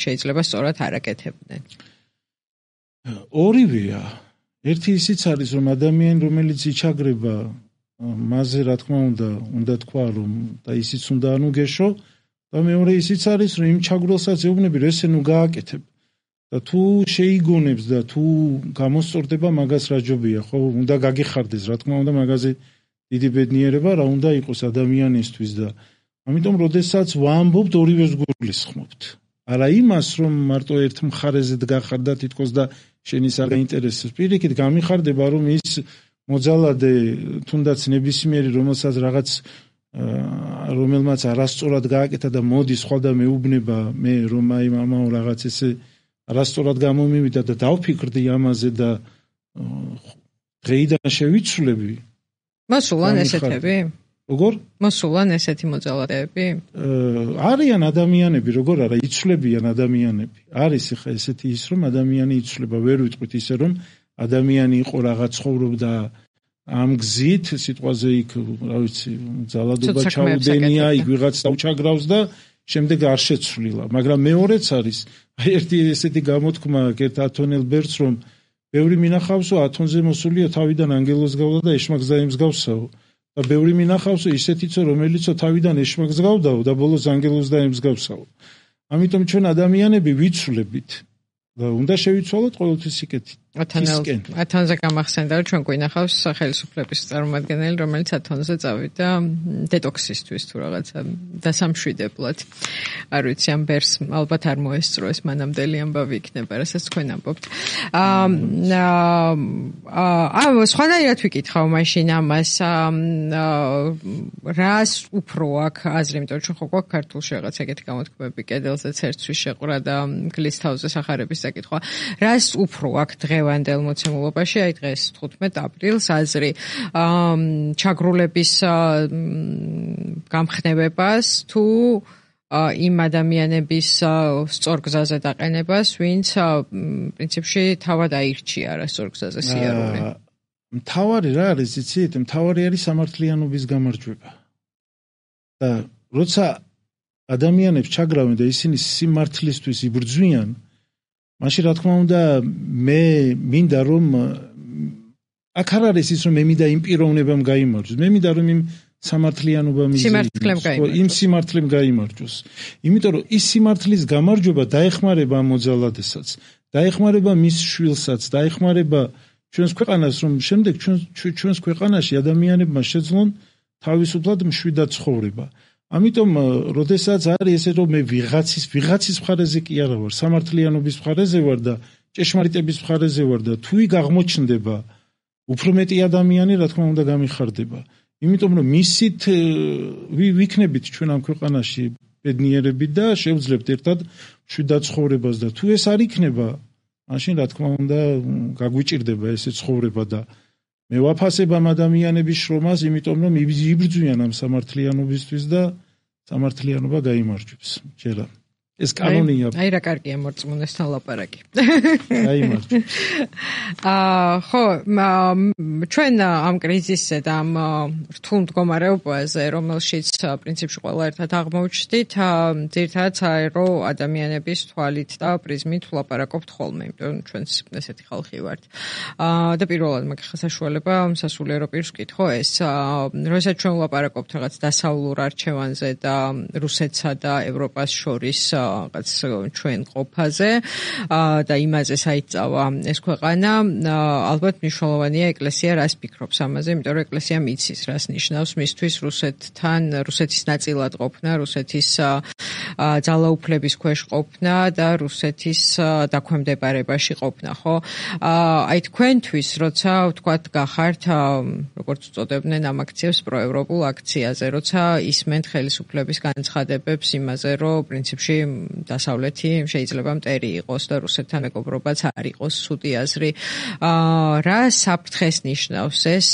S1: შეიძლება სწორად არ აკეთებდნენ.
S2: ორივეა. ერთი ისიც არის, რომ ადამიანი, რომელიც იჩაგრება, მასზე რა თქმა უნდა, უნდა თქვა, რომ და ისიც უნდა ანუგეშო, და მეორე ისიც არის, რომ იმ ჩაგვრელსაც ეუბნები, რომ ესე ნუ გააკეთებ. და თუ შეიგონებს და თუ გამოსწორდება, მაგას რა ჯობია, ხო? უნდა გაგიხარდეს, რა თქმა უნდა, მაგაზე დიდი ბედნიერება რა უნდა იყოს ადამიანისთვის და ამიტომ, როდესაც ვამბობთ, ორივეს გულისხმობთ. არა იმას, რომ მარტო ერთ მხარეზე დგახარ და თითქოს და შენის არ გაინტერესებს. პირიქით გამიხარდება, რომ ის მოძალადე თუნდაც ნებისმიერი, რომელსაც რაღაც რომელმაც არასწორად გააკეთა და მოდი სხვა და მეუბნება მე რომ აი მამაო რაღაც ესე არასწორად გამომივიდა და დავფიქრდი ამაზე და დღეიდან შევიცვლები.
S1: მოსულან ესეთები?
S2: როგორ?
S1: მოსულან ესეთი მოძალადეები?
S2: არიან ადამიანები, როგორ არა, იცვლებიან ადამიანები. არის ხა ესეთი ის, რომ ადამიანი იცვლება, ვერ ვიტყვით ისე, რომ ადამიანი იყო რაღაც ცხოვრობდა ამ გზით, სიტყვაზე იქ, რა ვიცი, ძალადობა ჩაუდენია, იქ ვიღაც დაუჩაგრავს და შემდეგ არ შეცვლილა. მაგრამ მეორეც არის, აი ერთი ესეთი გამოთქმა აქვს ერთ ათონელ ბერდს, რომ ბევრი მინახავსო ათონზე მოსულია თავიდან ანგელოს გავდა და ეშმაკს დაემსგავსაო. და ბევრი მინახავსო ისეთიცო, რომელიცო თავიდან ეშმაკს გავდაო და ბოლოს ანგელოს დაემსგავსაო. ამიტომ ჩვენ ადამიანები ვიცვლებით და უნდა შევიცვალოთ ყოველთვის სიკეთით.
S1: ათონზე გამახსენდა, რომ ჩვენ გვინახავს სახელმწიფოების წარმომადგენელი, რომელიც ათონზე წავიდა დეტოქსისთვის თუ რაღაცა დასამშვიდებლად. არ ვიცი, ამ ბერს ალბათ არ მოესწრო ეს მანამდელი ამბავი იქნება, რასაც თქვენ ამბობთ. აა სხვანაირად ვიკითხავ მაშინ ამას, რას უფრო აქვს აზრი, იმიტომ რომ ჩვენ ხო გვაქვს ქართულში რაღაც ეგეთი გამოთქმები, კედელზეც ერთვის შეყრა და გლის თავზე სახარების საკითხვა. რას უფრო აქვს დღევანდელ მოცემულობაში, აი დღეს თხუთმეტ აპრილს აზრი ჩაგრულების გამხნევებას თუ იმ ადამიანების სწორ გზაზე დაყენებას, ვინც პრინციპში თავად აირჩია რა სწორ გზაზე სიარული.
S2: მთავარი რა არის, იცით? მთავარი არის სამართლიანობის გამარჯვება. და როცა ადამიანებს ჩაგრავენ და ისინი სიმართლისთვის იბრძვიან, მაშინ რა თქმა უნდა მე მინდა რომ აქ არ არის ის რომ მე მინდა იმ პიროვნებამ გაიმარჯვოს, მე მინდა რომ იმ სამართლიანობამ იმ სიმართლემ გაიმარჯვოს. იმიტომ რომ ის სიმართლის გამარჯვება დაეხმარება ამ მოძალადესაც, დაეხმარება მის შვილსაც, დაეხმარება ჩვენს ქვეყანას, რომ შემდეგ ჩვენს ქვეყანაში ადამიანებმა შეძლონ თავისუფლად მშვიდად ცხოვრება. ამიტომ, როდესაც არის ესე, რომ მე ვიღაცის, ვიღაცის მხარეზე კი არა ვარ, სამართლიანობის მხარეზე ვარ და ჭეშმარიტების მხარეზე ვარ და თუ იქ აღმოჩნდება უფრო მეტი ადამიანი, რა თქმა უნდა, გამიხარდება. იმიტომ რომ მისით ვიქნებით ჩვენ ამ ქვეყანაში ბედნიერები და შევძლებთ ერთად მშვიდად ცხოვრებას და თუ ეს არ იქნება, მაშინ რა თქმა უნდა, გაგვიჭირდება ესე ცხოვრება და მე ვაფასებ ამ ადამიანების შრომას, იმიტომ რომ იბრძვიან ამ სამართლიანობისთვის და სამართლიანობა გაიმარჯვებს. ჯერა. ეს კანონია.
S1: აი რა კარგია მორწმუნესთან ლაპარაკი.
S2: გაიმარჯვებს.
S1: აა ხო, ჩვენ ამ კრიზისზე და ამ რთულ მდგომარეობაზე, რომელშიც პრინციპში ყველა ერთად აღმოჩნდით, ძირითადად საერო ადამიანების თვალით და პრიზმით ვლაპარაკობთ ხოლმე, იმიტომ რომ ჩვენც ესეთი ხალხი ვართ. აა და პირველად მაგ საშუალება სასულიერო პირს ვკითხო ეს, როდესაც ჩვენ ვლაპარაკობთ რაღაც დასავლურ არჩევანზე და რუსეთსა და ევროპას შორის რაღაც ჩვენ ყოფაზე და იმაზე საერთოდ ეს ქვეყანა ალბათ მნიშვნელოვანია ეკლესია რას ფიქრობს ამაზე, იმიტომ რომ ეკლესია მიცის რას ნიშნავს მისთვის რუსეთთან, რუსეთის ნაწილად ყოფნა, რუსეთის ძალაუფლების ქვეშ ყოფნა და რუსეთის დაქვემდებარებაში ყოფნა, ხო? აი თქვენთვის, როცა ვთქვათ, გახართ, როგორც უწოდებდნენ ამ აქციებს პროევროპულ აქციაზე, როცა ისმენთ ხელისუფლების განცხადებებს იმაზე, რომ პრინციპში დასავლეთი შეიძლება მტერი იყოს და რუსეთთან მეგობრობაც არ იყოს ცუდი აზრი. რა საფრთხეს ნიშნავს ეს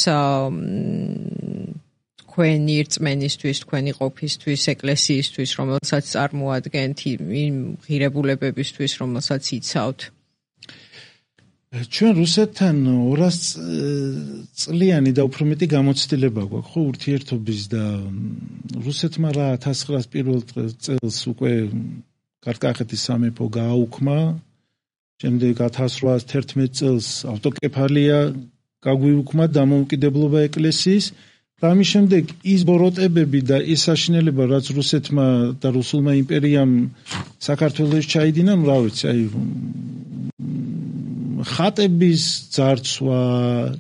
S1: თქვენი რწმენისთვის, თქვენი ყოფისთვის, ეკლესიისთვის, რომელსაც წარმოადგენთ, იმ ღირებულებებისთვის, რომელსაც იცავთ?
S2: ჩვენ რუსეთთან ორას წლიანი და უფრო მეტი გამოცდილება გვაქვს, ხო, ურთიერთობის და რუსეთმა რა ათას ცხრაას პირველ წელს უკვე კართკახეთის სამეფო გააუქმა, შემდეგ ათას რვაას თერთმეტ წელს ავტოკეფალია გაგვიუქმა დამოუკიდებლობა ეკლესიის და ამის შემდეგ ის ბოროტებები და ის საშინელება, რაც რუსეთმა და რუსულმა იმპერიამ საქართველოს ჩაიდინა, რა ვიცი, აი ხატების ძარცვა,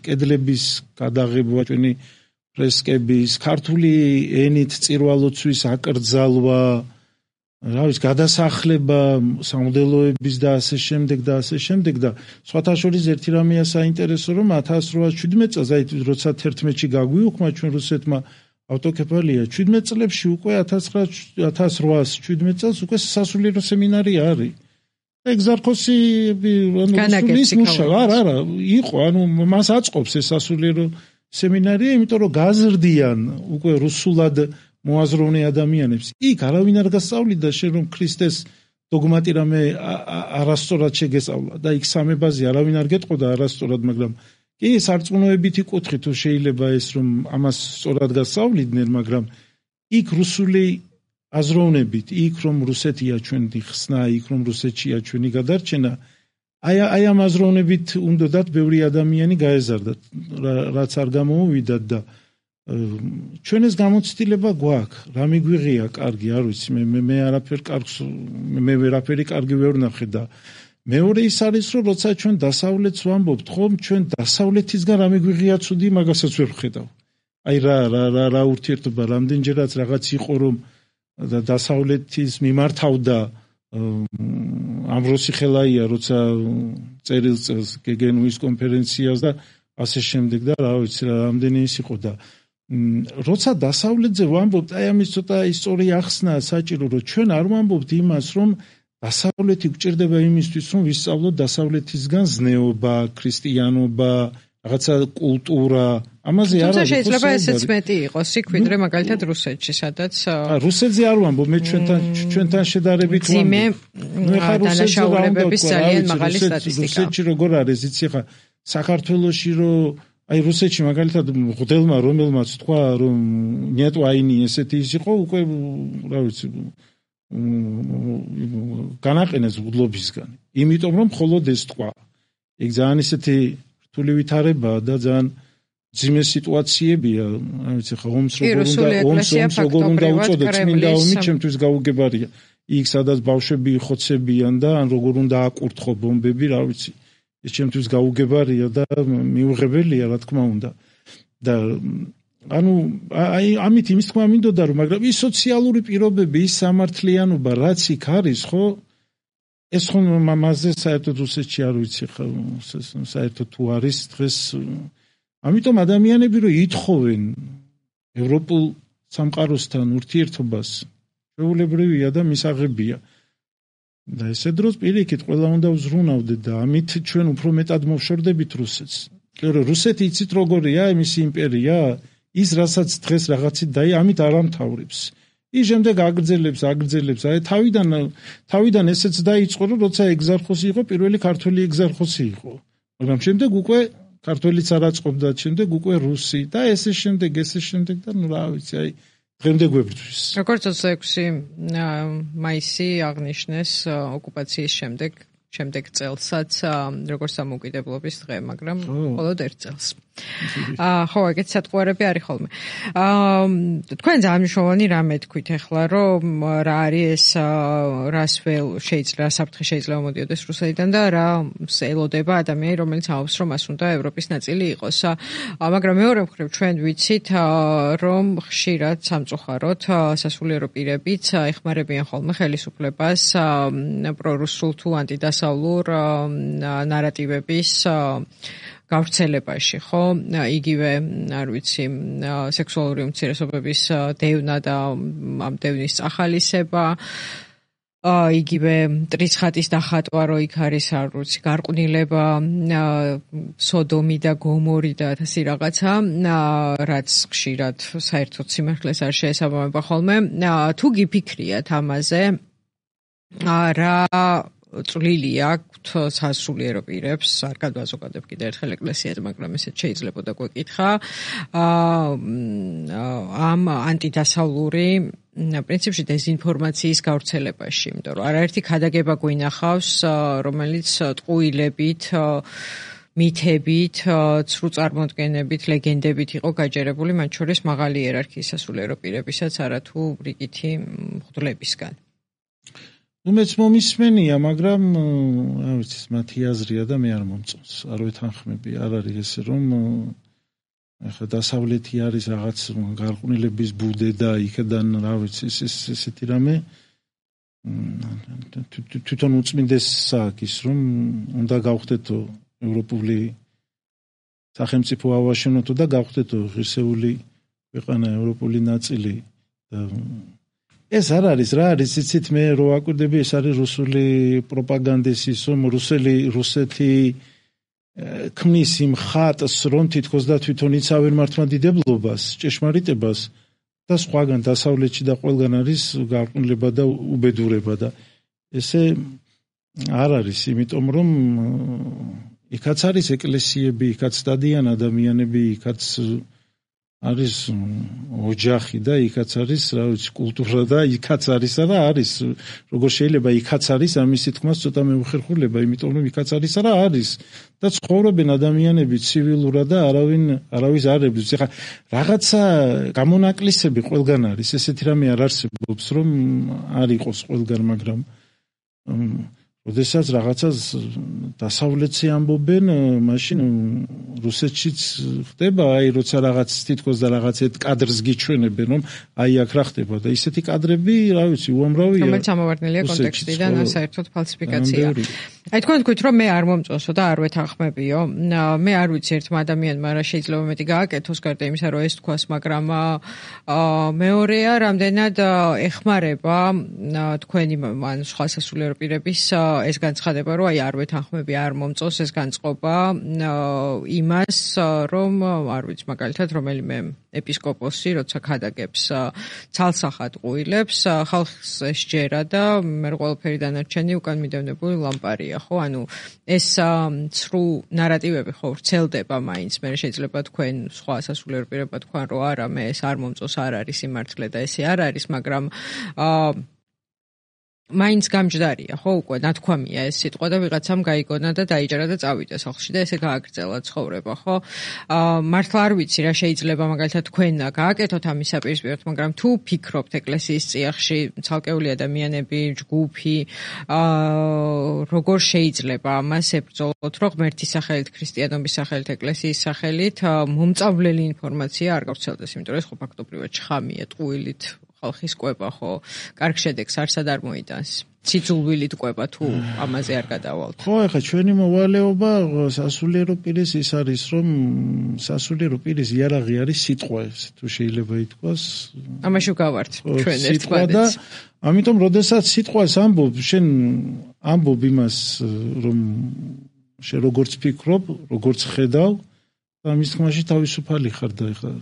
S2: კედლების გადაღება, ჩვენი ფრესკების, ქართული ენით წირვალოცვის აკრძალვა, რა ვიცი, გადასახლება სამღვდელოების და ასე შემდეგ და ასე შემდეგ და სხვათა შორის ერთი რამეა საინტერესო, რომ ათას რვაას შვიდმეტ წელს, აი როცა თერთმეტში გაგვიუქმა ჩვენ რუსეთმა ავტოკეფალია, შვიდმეტ წლებში უკვე ათას რვაას შვიდმეტ წელს უკვე სასულიერო სემინარია არის. ეგზარქოსი რუსულის მუშაობა, არა, არა, იყო, ანუ მას აწყობს ეს სასულიერო სემინარია, იმიტომ რომ გაზრდიან უკვე რუსულად მოაზროვნე ადამიანებს. იქ არავინ არ გასწავლიდა შენ რომ ქრისტეს დოგმატი რამე არასწორად შეგესწავლა და იქ სამებაზე არავინ არ გეტყოდა არასწორად, მაგრამ კი სარწმუნოებითი კუთხით თუ შეიძლება ეს რომ ამას სწორად გასწავლიდნენ, მაგრამ იქ რუსული აზროვნებით, იქ რომ რუსეთია ჩვენი ხსნა, იქ რომ რუსეთშია ჩვენი გადარჩენა, აი აი ამ აზროვნებით უნდათ ბევრი ადამიანი გაეზარდათ, რაც არ გამოუვიდათ და ჩვენ ეს გამოცდილება გვაქვს, რა მიგვიღია კარგი, არ ვიცი, მე მე არაფერ კარგს მე ვერაფერი კარგი ვერ ვნახე და მეორე ის არის, რომ როცა ჩვენ დასავლეთს ვამბობთ, ხომ ჩვენ დასავლეთისგან რა მიგვიღია ცუდი, მაგასაც ვერ ვხედავ. აი რა რა რა რა ურთიერთობა, რამდენჯერაც რაღაც იყო, რომ და დასავლეთის მიმართავდა ამბროსი ხელაია, როცა წერილ წელს გეგენუის კონფერენციას და ასე შემდეგ და რა ვიცი, რამდენი ის იყო და როცა დასავლეთზე ვამბობთ, აი ამის ცოტა ისტორია ახსნა საჭირო, რომ ჩვენ არ ვამბობთ იმას, რომ დასავლეთი გვჭირდება იმისთვის, რომ ვისწავლოთ დასავლეთისგან ზნეობა, ქრისტიანობა, რაღაცა კულტურა, ამაზე არ არის.
S1: შეიძლება ესეც მეტი იყოს, იქ ვიდრე მაგალითად რუსეთში, სადაც
S2: რუსეთზე არ ვამბობ, მე ჩვენთან ჩვენთან შედარებით ვამბობ.
S1: მე ხარ დანაშაულებების ძალიან მაღალი სტატისტიკა.
S2: რუსეთში როგორ არის, იცი ხა, საქართველოში რომ აი რუსეთში მაგალითად ღდელმა რომელმაც თქვა, რომ ნეტო აინი ესეთი ის იყო, უკვე რა ვიცი, განაყენეს ღდლობისგან. იმიტომ რომ მხოლოდ ეს თქვა. ეგ ძალიან ისეთი რთული ვითარებაა და ძალიან ძიმე სიტუაციებია, რა ვიცი, ხა ომს როგორ უნდა ომს როგორ უნდა უწოდოთ, წმინდა ომი ჩემთვის გაუგებარია. იქ სადაც ბავშვები ხოცებიან და ან როგორ უნდა აკურთხო ბომბები, რა ვიცი. ეს ჩემთვის გაუგებარია და მიუღებელია, რა თქმა უნდა. და ანუ აი ამით იმის თქმა მინდოდა, რომ მაგრამ ის სოციალური პირობები, ის სამართლიანობა, რაც იქ არის, ხო? ეს ხომ მასზე საერთოდ რუსეთში არ ვიცი, ხო, საერთოდ თუ არის დღეს. ამიტომ ადამიანები რომ ითხოვენ ევროპულ სამყაროსთან ურთიერთობას, შეუულებრივია და მისაღებია. და ესე დროს პირიქით ყველა უნდა ვზრუნავდეთ და ამით ჩვენ უფრო მეტად მოვშორდებით რუსეთს. იმიტომ რომ რუსეთი იცით როგორია, მისი იმპერია, ის რასაც დღეს რაღაცით და ამით არ ამთავრებს. ის შემდეგ აგრძელებს, აგრძელებს, აი თავიდან თავიდან ესეც დაიწყო, რომ როცა ეგზარქოსი იყო, პირველი ქართველი ეგზარქოსი იყო. მაგრამ შემდეგ უკვე ქართველიც არ აწყობდა, შემდეგ უკვე რუსი და ესე შემდეგ, ესე შემდეგ და ნუ რა ვიცი, აი დღემდე გვებრძვის.
S1: როგორც ოცდაექვსი მაისი აღნიშნეს ოკუპაციის შემდეგ შემდეგ წელსაც როგორც სამოუკიდებლობის დღე, მაგრამ მხოლოდ ერთ წელს. აა ხო, ეგეთ სატყუარები არის ხოლმე. აა თქვენ ძალიან მნიშვნელოვანი რამე თქვით ახლა, რომ რა არის ეს რას վել შეიძლება საფრთხე შეიძლება მოდიოდეს რუსეთიდან და რა ელოდება ადამიანი, რომელიც ამბობს, რომ მას უნდა ევროპის ნაწილი იყოს. მაგრამ მეორე მხრივ ჩვენ ვიცით, რომ ხშირად სამწუხაროდ სასულიერო პირებიც ეხმარებიან ხოლმე ხელისუფლებას პრორუსულ თუ ანტიდასავლურ ნარატივების გავრცელებაში, ხო? იგივე, არ ვიცი, სექსუალური უმცირესობების დევნა და ამ დევნის წახალისება, იგივე ტრიცხატის დახატვა, რო იქ არის, არ ვიცი, გარყვნილება, სოდომი და გომორი და ასე რაღაცა, რაც ხშირად საერთოდ სიმართლეს არ შეესაბამება ხოლმე. თუ გიფიქრიათ ამაზე, რა წვლილი აქვს სასულიერო პირებს, არ გადვაზოგადებ კიდე ერთხელ ეკლესიაზე, მაგრამ ესეც შეიძლებოდა გვეკითხა, ამ ანტიდასავლური პრინციპში დეზინფორმაციის გავრცელებაში, იმიტომ რომ არაერთი ქადაგება გვინახავს, რომელიც ტყუილებით, მითებით, ცრუ წარმოდგენებით, ლეგენდებით იყო გაჯერებული, მათ შორის მაღალი იერარქიის სასულიერო პირებისაც, არათუ რიგითი მღვდლებისგან.
S2: ну მეც მომისმენია, მაგრამ რა ვიცი, მათი აზრია და მე არ მომწონს. არ ვეთანხმები, არ არის ესე, რომ ახლა დასავლეთი არის რაღაც გარყვნილების ბუდე და იქიდან რა ვიცი, ეს ესეთი რამე თვითონ უწმინდესა აქვს, რომ უნდა გავხდეთო ევროპული სახელმწიფო ავაშენოთო და გავხდეთო ღირსეული ქვეყანა ევროპული ნაწილი და ეს არ არის რა არის იცით მე რო აკვირდები ეს არის რუსული პროპაგანდის ისო რუსელი რუსეთი ქმნის იმ ხატს რომ თითქოს და თვითონ იცავენ მართლმადიდებლობას ჭეშმარიტებას და სხვაგან დასავლეთში და ყველგან არის გარყვნილება და უბედურება და ესე არ არის იმიტომ რომ იქაც არის ეკლესიები იქაც სტადიან ადამიანები იქაც არის ოჯახი და იქაც არის რა ვიცი კულტურა და იქაც არის რა არის როგორ შეიძლება იქაც არის ამის თქმას ცოტა მეუხერხულება იმიტომ რომ იქაც არის რა არის და ცხოვრობენ ადამიანები ცივილურად და არავინ არავის არ ებრძვის ეხლა რაღაცა გამონაკლისები ყველგან არის ესეთი რამე არ არსებობს რომ არ იყოს ყველგან მაგრამ როდესაც რაღაცას დასავლეთში ამბობენ, მაშინ რუსეთშიც ხდება, აი როცა რაღაც თითქოს და რაღაცეთ კადრს გიჩვენებენ, რომ აი აქ რა ხდება და ისეთი კადრები, რა ვიცი, უამრავია.
S1: რომელიც ამოვარდნილია კონტექსტიდან, საერთოდ ფალსიფიკაცია. აი თქვენ თქვით, რომ მე არ მომწონსო და არ ვეთანხმებიო. მე არ ვიცი ერთმა ადამიანმა რა შეიძლება მეტი გააკეთოს, გარდა იმისა, რომ ეს თქვას, მაგრამ მეორეა, რამდენად ეხმარება თქვენი ან სხვა სასულიერო პირების ეს განცხადება, რომ აი არ ვეთანხმები, არ მომწონს ეს განწყობა იმას, რომ არ ვიცი, მაგალითად, რომელიმე ეპისკოპოსი, როცა ქადაგებს ცალსახად ყუილებს, ხალხს ესჯერა და მე ყველაფერი დანარჩენი უკან მიდევნებული ლამპარია, ხო? ანუ ეს ცრუ ნარატივები ხო ვრცელდება მაინც, მე შეიძლება თქვენ სხვა სასულიერო პირებმა თქვან, რომ არა, მე ეს არ მომწონს, არ არის სიმართლე და ესე არ არის, მაგრამ აა მაინც გამჯდარია, ხო, უკვე ნათქვამია ეს სიტყვა და ვიღაცამ გაიგონა და დაიჭერა და წავიდა სახლში და ესე გააგრძელა ცხოვრება, ხო? აა მართლა არ ვიცი რა შეიძლება მაგალითად თქვენ გააკეთოთ ამის საპირისპიროდ, მაგრამ თუ ფიქრობთ ეკლესიის წიაღში ცალკეული ადამიანები, ჯგუფი, აა როგორ შეიძლება ამას ებრძოლოთ, რომ ღმერთის სახელით, ქრისტიანობის სახელით, ეკლესიის სახელით მომწავლელი ინფორმაცია არ გავრცელდეს, იმიტომ რომ ეს ხო ფაქტობრივად შხამია, ტყუილით ხალხის კვება ხო კარგ შედეგს არსად არ მოიტანს. ციცულვილით კვება თუ ამაზე არ გადავალთ.
S2: ხო, ეხლა ჩვენი მოვალეობა სასულიერო პირის ის არის, რომ სასულიერო პირის იარაღი არის სიტყვა, თუ შეიძლება ითქვას.
S1: ამაში ვგავართ ჩვენ ერთმანეთს.
S2: ამიტომ, როდესაც სიტყვას ამბობ, შენ ამბობ იმას, რომ შენ როგორც ფიქრობ, როგორც ხედავ, და მის თქმაში თავისუფალი ხარ და ეხლა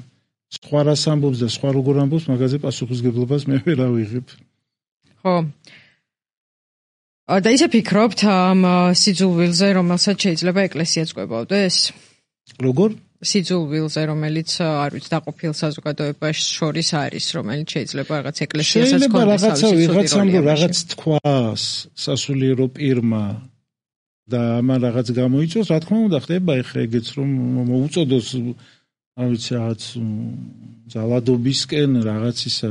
S2: სხვა რას ამბობს და სხვა როგორ ამბობს, მაგაზე პასუხისგებლობას მე ვერ ავიღებ.
S1: ხო. და ისე ფიქრობთ ამ სიძულვილზე, რომელსაც შეიძლება ეკლესიაც კვებავდეს?
S2: როგორ?
S1: სიძულვილზე, რომელიც არ ვიცი, დაყოფილ საზოგადოებას შორის არის, რომელიც შეიძლება რაღაც ეკლესიასაც
S2: კონდეს. შეიძლება რაღაცა ვიღაცამ რაღაც თქვას სასულიერო პირმა და ამან რაღაც გამოიწვევს, რა თქმა უნდა ხდება ეხა ეგეც რომ მოუწოდოს არ ვიცი რაღაც ძალადობისკენ რაღაც ისა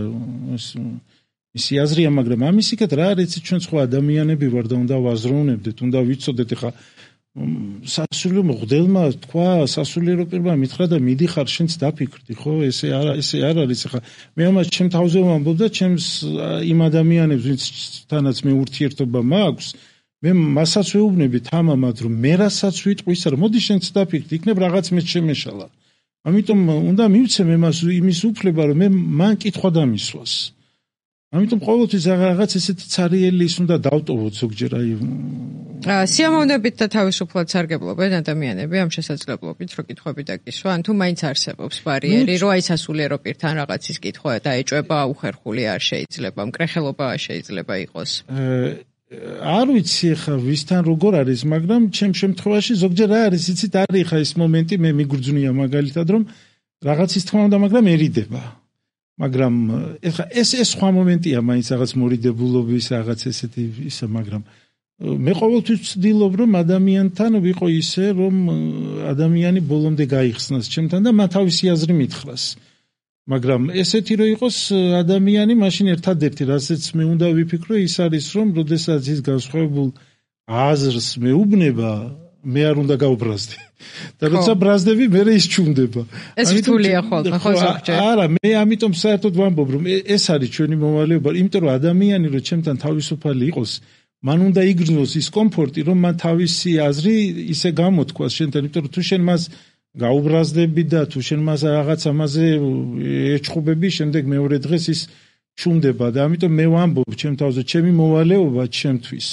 S2: ისი აზრია, მაგრამ ამის იქეთ რა არის ჩვენ სხვა ადამიანები ვარ და უნდა ვაზროვნებდეთ, უნდა ვიცოდეთ ეხა სასულიერო მღვდელმა თქვა, სასულიერო პირმა მითხრა და მიდიხარ შენც დაფიქრდი, ხო? ესე არა, ესე არ არის ეხა. მე ამას ჩემ თავზე ვამბობ და ჩემს იმ ადამიანებს, ვინცთანაც მე ურთიერთობა მაქვს, მე მასაც ვეუბნები თამამად, რომ მე რასაც ვიტყვის, რომ მოდი შენც დაფიქრდი, იქნებ რაღაც მე შემეშალა. ამიტომ უნდა მივცემ იმას იმის უფლება, რომ მე მან კითხვა დამისვას. ამიტომ ყოველთვის რაღაც ესეთი ცარიელი ის უნდა დავტოვოთ ზოგჯერ აი
S1: სიამოვნებით და თავისუფლად სარგებლობენ ადამიანები ამ შესაძლებლობით რო კითხვები დაკისვა, ან თუ მაინც არსებობს ბარიერი, რომ აი სასულიერო პირთან რაღაცის კითხვა დაეჭვება უხერხული არ შეიძლება, მკრეხელობა შეიძლება იყოს.
S2: არ ვიცი ხა ვისთან როგორ არის, მაგრამ ჩემ შემთხვევაში ზოგჯერ რა არის, იცით, არის ხა ის მომენტი, მე მიგრძნია მაგალითად, რომ რაღაცის თქმა უნდა, მაგრამ ერიდება. მაგრამ ეხა ეს ეს სხვა მომენტია, მაინც რაღაც მორიდებულობის რაღაც ესეთი ისა, მაგრამ მე ყოველთვის ვცდილობ, რომ ადამიანთან ვიყო ისე, რომ ადამიანი ბოლომდე გაიხსნას ჩემთან და მან თავისი აზრი მითხრას. მაგრამ ესეთი რომ იყოს ადამიანი, მაშინ ერთადერთი რასაც მე უნდა ვიფიქრო, ის არის, რომ როდესაც ის განსხვავებულ აზრს მეუბნება, მე არ უნდა გავბრაზდე. და როცა ბრაზდები, მე ის ჩუნდება.
S1: ეს რთულია ხოლმე, ხო ზოგჯერ.
S2: არა, მე ამიტომ საერთოდ ვამბობ, რომ ეს არის ჩვენი მოვალეობა, იმიტომ რომ ადამიანი რომ ჩემთან თავისუფალი იყოს, მან უნდა იგრძნოს ის კომფორტი, რომ მან თავისი აზრი ისე გამოთქვას შენთან, იმიტომ რომ თუ შენ მას გაუბრაზდები და თუ შენ მას რაღაც ამაზე ეჩხუბები, შემდეგ მეორე დღეს ის ჩუნდება და ამიტომ მე ვამბობ ჩემ თავზე, ჩემი მოვალეობა ჩემთვის.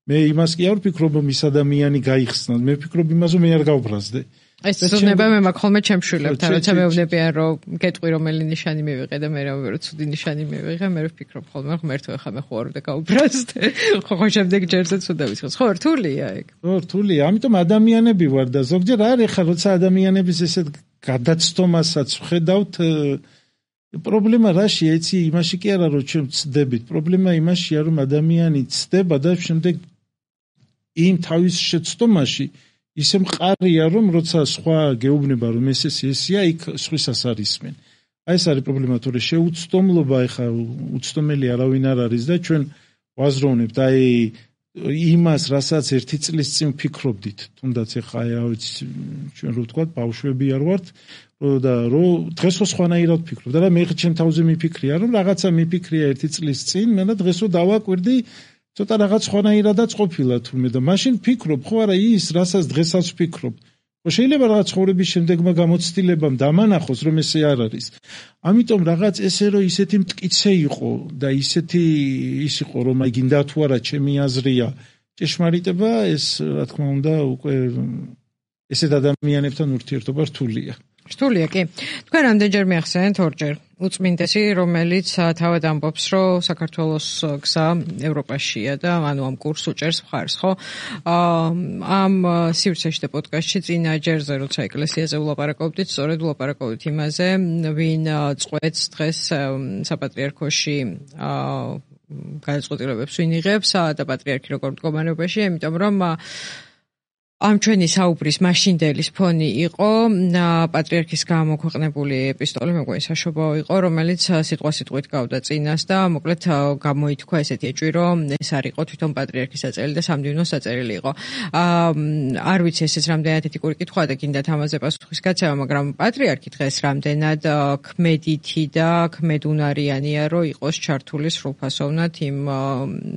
S2: მე იმას კი არ ვფიქრობ, რომ ის ადამიანი გაიხსნას, მე ვფიქრობ იმას, რომ მე არ გავბრაზდე.
S1: ეს ცუდნება მე მაქვს ხოლმე ჩემ შვილებთან, როცა მეუბნებიან, რომ გეტყვი რომელი ნიშანი მივიღე და მე რომ ცუდი ნიშანი მივიღე, მე ვფიქრობ ხოლმე, რომ ღმერთო ეხა მე ხო არ უნდა გავუბრაზდე. ხო ხო შემდეგ ჯერზე ცუდა ვიცხოს. ხო რთულია ეგ.
S2: ხო რთულია, ამიტომ ადამიანები ვარ და ზოგჯერ არის ხა როცა ადამიანების ესეთ გადაცდომასაც ვხედავთ, პრობლემა რაშია, იცი, იმაში კი არა რომ ჩვენ ვცდებით, პრობლემა იმაშია, რომ ადამიანი ცდება და შემდეგ იმ თავის შეცდომაში ისე მყარია, რომ როცა სხვა გეუბნება, რომ ეს ეს ესია, იქ სხვისას არისმენ. აი ეს არის პრობლემა, თორე შეუცდომლობა ეხა უცდომელი არავინ არ არის და ჩვენ ვაზროვნებთ აი იმას, რასაც ერთი წლის წინ ვფიქრობდით, თუნდაც ეხა აი რა ვიცი, ჩვენ რო ვთქვათ, ბავშვები არ ვართ, და რო დღესო სხვანაირად ვფიქრობ და რა მე ჩემ თავზე მიფიქრია, რომ რაღაცა მიფიქრია ერთი წლის წინ, მე და დღესო დავაკვირდი ცოტა რაღაც სხვანაირადაც ყოფილა თურმე და მაშინ ვფიქრობ, ხო არა ის, რასაც დღესაც ვფიქრობ. ხო შეიძლება რაღაც ცხოვრების შემდეგმა გამოცდილებამ დამანახოს, რომ ესე არ არის. ამიტომ რაღაც ესე რომ ისეთი მტკიცე იყო და ისეთი ის იყო, რომ აი გინდა თუ არა ჩემი აზრია ჭეშმარიტება, ეს რა თქმა უნდა უკვე ესეთ ადამიანებთან ურთიერთობა რთულია.
S1: რთულია კი. თქვენ რამდენჯერ მიახსენეთ ორჯერ უწმინდესი, რომელიც თავად ამბობს, რომ საქართველოს გზა ევროპაშია და ანუ ამ კურსს უჭერს მხარს, ხო? ამ სივრცეში და პოდკასტში წინა ჯერზე, როცა ეკლესიაზე ვლაპარაკობდით, სწორედ ვლაპარაკობდით იმაზე, ვინ წყვეტს დღეს საპატრიარქოში გადაწყვეტილებებს ვინ იღებს და პატრიარქი როგორ მდგომარეობაში, იმიტომ რომ ამ ჩვენი საუბრის მაშინდელის ფონი იყო პატრიარქის გამოქვეყნებული ეპისტოლე, მეგონი საშობაო იყო, რომელიც სიტყვა-სიტყვით გავდა წინას და მოკლედ გამოითქვა ესეთი ეჭვი, რომ ეს არ იყო თვითონ პატრიარქის საწერილი და სამდივნოს საწერილი იყო. არ ვიცი ესეც რამდენად ეთიკური კითხვაა და გინდათ ამაზე პასუხის გაცემა, მაგრამ პატრიარქი დღეს რამდენად ქმედითი და ქმედუნარიანია, რომ იყოს ჩართული სრულფასოვნად იმ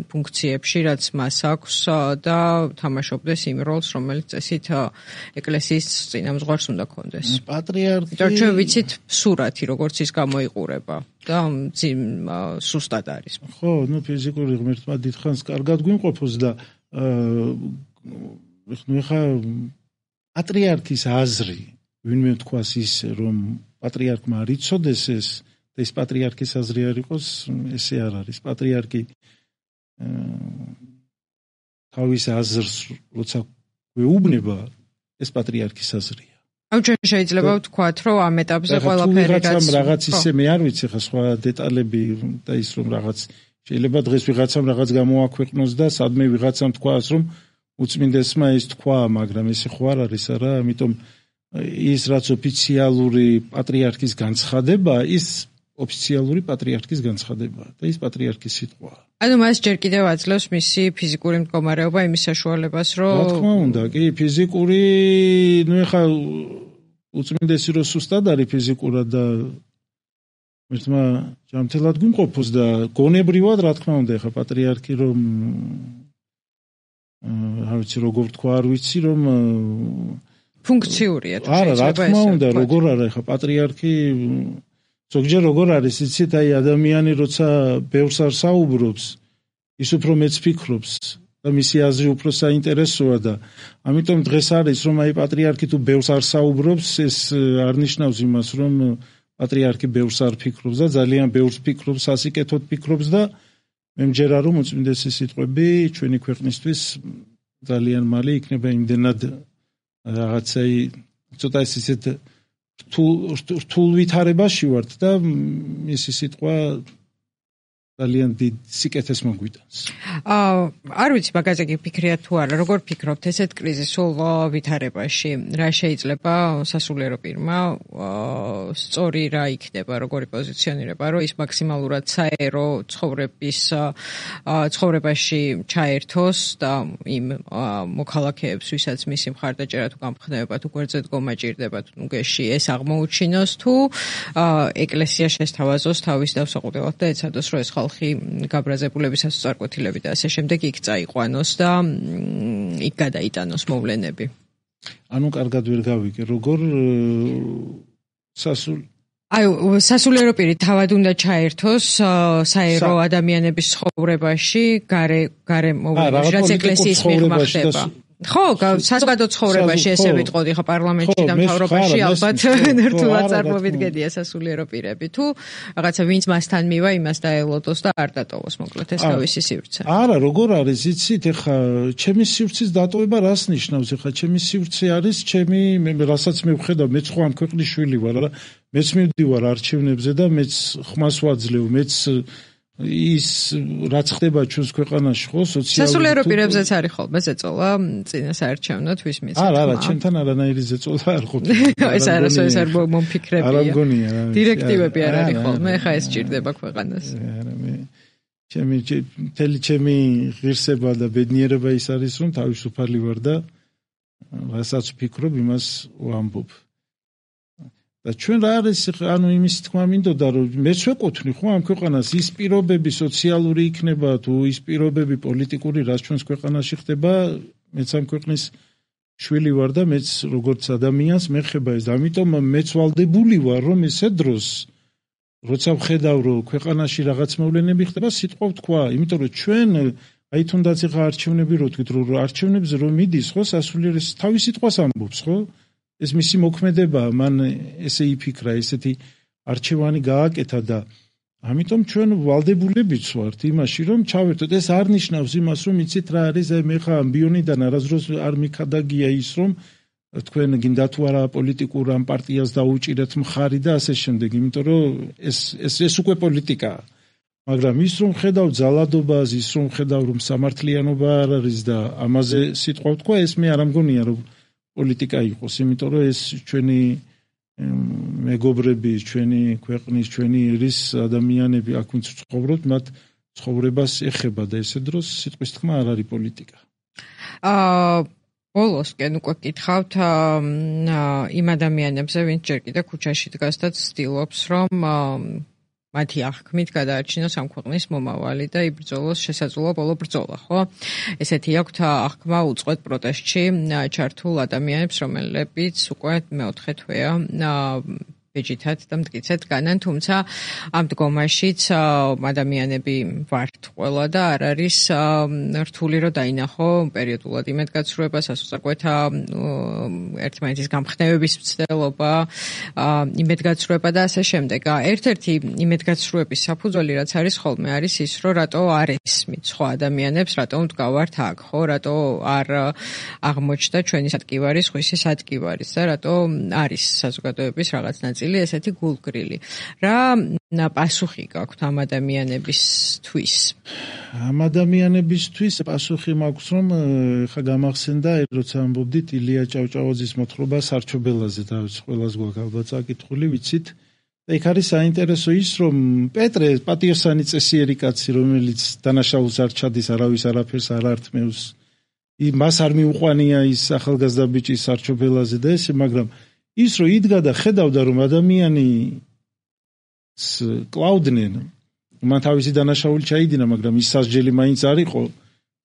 S1: ფუნქციებში, რაც მას აქვს და თამაშობდეს იმ როლს, რომ რომელიც წესით ეკლესიის წინამძღვარს უნდა კონდეს.
S2: პატრიარქი
S1: და ჩვენ ვიცით სურათი, როგორც ის გამოიყურება და სუსტად არის.
S2: ხო, ნუ ფიზიკური ღმერთმა დიდხანს კარგად გვიმყოფოს და ნუ ხა პატრიარქის აზრი, ვინმე თქვას ისე, რომ პატრიარქმა არ იცოდეს ეს და ეს პატრიარქის აზრი არ იყოს, ესე არ არის. პატრიარქი თავის აზრს როცა ვეუბნება, ეს პატრიარქის აზრია.
S1: აუ ჩვენ შეიძლება ვთქვათ, რომ ამ ეტაპზე ყველაფერი
S2: რაც რაღაც ისე მე არ ვიცი ხა სხვა დეტალები და ის რომ რაღაც შეიძლება დღეს ვიღაცამ რაღაც გამოაქვეყნოს და სადმე ვიღაცამ თქვას, რომ უწმინდესმა ის თქვა, მაგრამ ეს ხო არ არის არა, ამიტომ ის რაც ოფიციალური პატრიარქის განცხადება, ის ოფიციალური პატრიარქის განცხადება და ის პატრიარქის სიტყვაა.
S1: ანუ მას ჯერ კიდევ აძლევს მისი ფიზიკური მდგომარეობა იმის საშუალებას, რომ
S2: რა თქმა უნდა, კი, ფიზიკური, ნუ ეხა უწმინდესი რო სუსტად არის ფიზიკურად და ერთმა ჯამთელად გვიმყოფოს და გონებრივად, რა თქმა უნდა, ეხა პატრიარქი რომ რა ვიცი, როგორ თქვა, არ ვიცი, რომ
S1: ფუნქციურია თუ
S2: არა, რა თქმა უნდა, როგორ არა, ეხა პატრიარქი ზოგჯერ როგორ არის, იცით, აი ადამიანი როცა ბევრს არ საუბრობს, ის უფრო მეც ფიქრობს და მისი აზრი უფრო საინტერესოა და ამიტომ დღეს არის, რომ აი პატრიარქი თუ ბევრს არ საუბრობს, ეს არ ნიშნავს იმას, რომ პატრიარქი ბევრს არ ფიქრობს და ძალიან ბევრს ფიქრობს, სასიკეთოდ ფიქრობს და მე მჯერა, რომ უწმინდესი სიტყვები ჩვენი ქვეყნისთვის ძალიან მალე იქნება იმდენად რაღაცა ცოტა ეს ისეთ რთულ ვითარებაში ვართ და მისი სიტყვა ძალიან დიდ სიკეთეს მოგვიტანს.
S1: აა არ ვიცი მაგაზე გიფიქრია თუ არა, როგორ ფიქრობთ ესეთ კრიზისულ ვითარებაში, რა შეიძლება სასულიერო პირმა სწორი რა იქნება, როგორი პოზიციონირება, რომ ის მაქსიმალურად საერო ცხოვრების ცხოვრებაში ჩაერთოს და იმ მოქალაქეებს, ვისაც მისი მხარდაჭერა თუ გამხნევება თუ გვერდზე დგომა ჭირდებათ, ნუ გეში ეს აღმოუჩინოს თუ ეკლესია შესთავაზოს თავის დავსაყუდებლად და ეცადოს, რომ ეს ხალხი გაბრაზებულების ასწარკვეთილები და ასე შემდეგ იქ წაიყვანოს და იქ გადაიტანოს მოვლენები.
S2: ანუ კარგად ვერ გავიგე, როგორ სასულ
S1: აი სასულიერო პირი თავად უნდა ჩაერთოს საერო ადამიანების ცხოვრებაში, გარე გარე მოვლენებში, რაც ეკლესიის მიღმა ხდება. ხო, საზოგადო ცხოვრებაში ესე ვიტყოდი, ხო პარლამენტში და მთავრობაში ალბათ რთულად წარმოებით გედია სასულიერო პირები. თუ რაღაცა ვინც მასთან მივა, იმას დაელოდოს და არ დატოვოს მოკლედ ეს თავისი სივრცე.
S2: არა, როგორ არის, იცით, ეხა ჩემი სივრცის დატოვება რას ნიშნავს? ეხა ჩემი სივრცე არის, ჩემი რასაც მე ვხედავ, მეც ხო ამ ქვეყნის შვილი ვარ, რა. მეც მივდივარ არჩევნებზე და მეც ხმას ვაძლევ, მეც ის რაც ხდება ჩვენს ქვეყანაში ხო სოციალური
S1: სასულიერო პირებზეც არის ხოლმე ზეწოლა წინა საარჩევნო თვის მიცემ.
S2: არა, არა, ჩემთან არანაირი ზეწოლა არ ყოფილა.
S1: ეს არასო ეს არ მომფიქრებია.
S2: არა მგონია.
S1: დირექტივები არ არის ხოლმე, ხა ეს ჭირდება ქვეყანას.
S2: არა მე ჩემი თელი ჩემი ღირსება და ბედნიერება ის არის რომ თავისუფალი ვარ და რასაც ვფიქრობ იმას ვამბობ. და ჩვენ რა არის ანუ იმის თქმა მინდოდა რომ მეც ვეკუთვნი ხო ამ ქვეყანას ის პირობები სოციალური იქნება თუ ის პირობები პოლიტიკური რაც ჩვენს ქვეყანაში ხდება მეც ამ ქვეყნის შვილი ვარ და მეც როგორც ადამიანს მეხება ეს ამიტომ მეც ვალდებული ვარ რომ ესე დროს როცა ვხედავ რომ ქვეყანაში რაღაც მოვლენები ხდება სიტყვა ვთქვა იმიტომ რომ ჩვენ აი თუნდაც ეხა არჩევნები რო თქვით რომ არჩევნებზე რომ მიდის ხო სასულიერო თავის სიტყვას ამბობს ხო ეს მისი მოქმედება მან ესე იფიქრა ესეთი არჩევანი გააკეთა და ამიტომ ჩვენ ვალდებულებიც ვართ იმაში რომ ჩავერთოთ ეს არ ნიშნავს იმას რომ იცით რა არის აი მე ხა ამბიონიდან არასდროს არ მიქადაგია ის რომ თქვენ გინდა თუ არა პოლიტიკურ ამ პარტიას დაუჭირეთ მხარი და ასე შემდეგ იმიტომ რომ ეს ეს ეს უკვე პოლიტიკაა მაგრამ ის რომ ხედავ ძალადობას ის რომ ხედავ რომ სამართლიანობა არ არის და ამაზე სიტყვა ვთქვა ეს მე არ ამგონია რომ პოლიტიკა იყოს, იმიტომ რომ ეს ჩვენი მეგობრები, ჩვენი ქვეყნის, ჩვენი ერის ადამიანები აქ ვინც ცხოვრობთ, მათ ცხოვრებას ეხება და ესე დროს სიტყვის თქმა არ არის პოლიტიკა.
S1: აა ბოლოსკენ უკვე გითხავთ იმ ადამიანებზე, ვინც ჯერ კიდევ ქუჩაში დგას და ცდილობს, რომ მათი აღქმით გადაარჩინოს ამ ქვეყნის მომავალი და იბრძოლოს შესაძლოა ბოლო ბრძოლა, ხო? ესეთი აქვთ აღქმა უწყვეტ პროტესტში ჩართულ ადამიანებს, რომლებიც უკვე მეოთხე თვეა ბეჯითად და მტკიცედ განან, თუმცა ამ დგომაშიც ადამიანები ვართ ყველა და არ არის რთული რომ დაინახო პერიოდულად იმედგაცრუება, სასწრაფოთა ერთმანეთის გამხნევების მცდელობა, იმედგაცრუება და ასე შემდეგ. ერთ-ერთი იმედგაცრუების საფუძველი რაც არის ხოლმე არის ის, რომ რატო არ ესმით სხვა ადამიანებს, რატო მდგავართ აქ, ხო, რატო არ აღმოჩნდა ჩვენი სადგივარის, ხვისი სადგივარის და რატო არის საზოგადოების რაღაც ნაწილი ნაწილი ესეთი გულგრილი. რა პასუხი გაქვთ ამ ადამიანებისთვის?
S2: ამ ადამიანებისთვის პასუხი მაქვს, რომ ხა გამახსენდა, როცა ამბობდით ილია ჭავჭავაძის მოთხრობა სარჩობელაზე, და ყველას გვაქვს ალბათ საკითხული, ვიცით. და იქ არის საინტერესო ის, რომ პეტრე პატიოსანი წესიერი კაცი, რომელიც დანაშაულს არ ჩადის, არავის არაფერს არ ართმევს, მას არ მიუყვანია ის ახალგაზრდა ბიჭი სარჩობელაზე და ესე, მაგრამ ის რომ იდგა და ხედავდა, რომ ადამიანი კლაუდნენ, მან თავისი დანაშაული ჩაიდინა, მაგრამ ის სასჯელი მაინც არ იყო,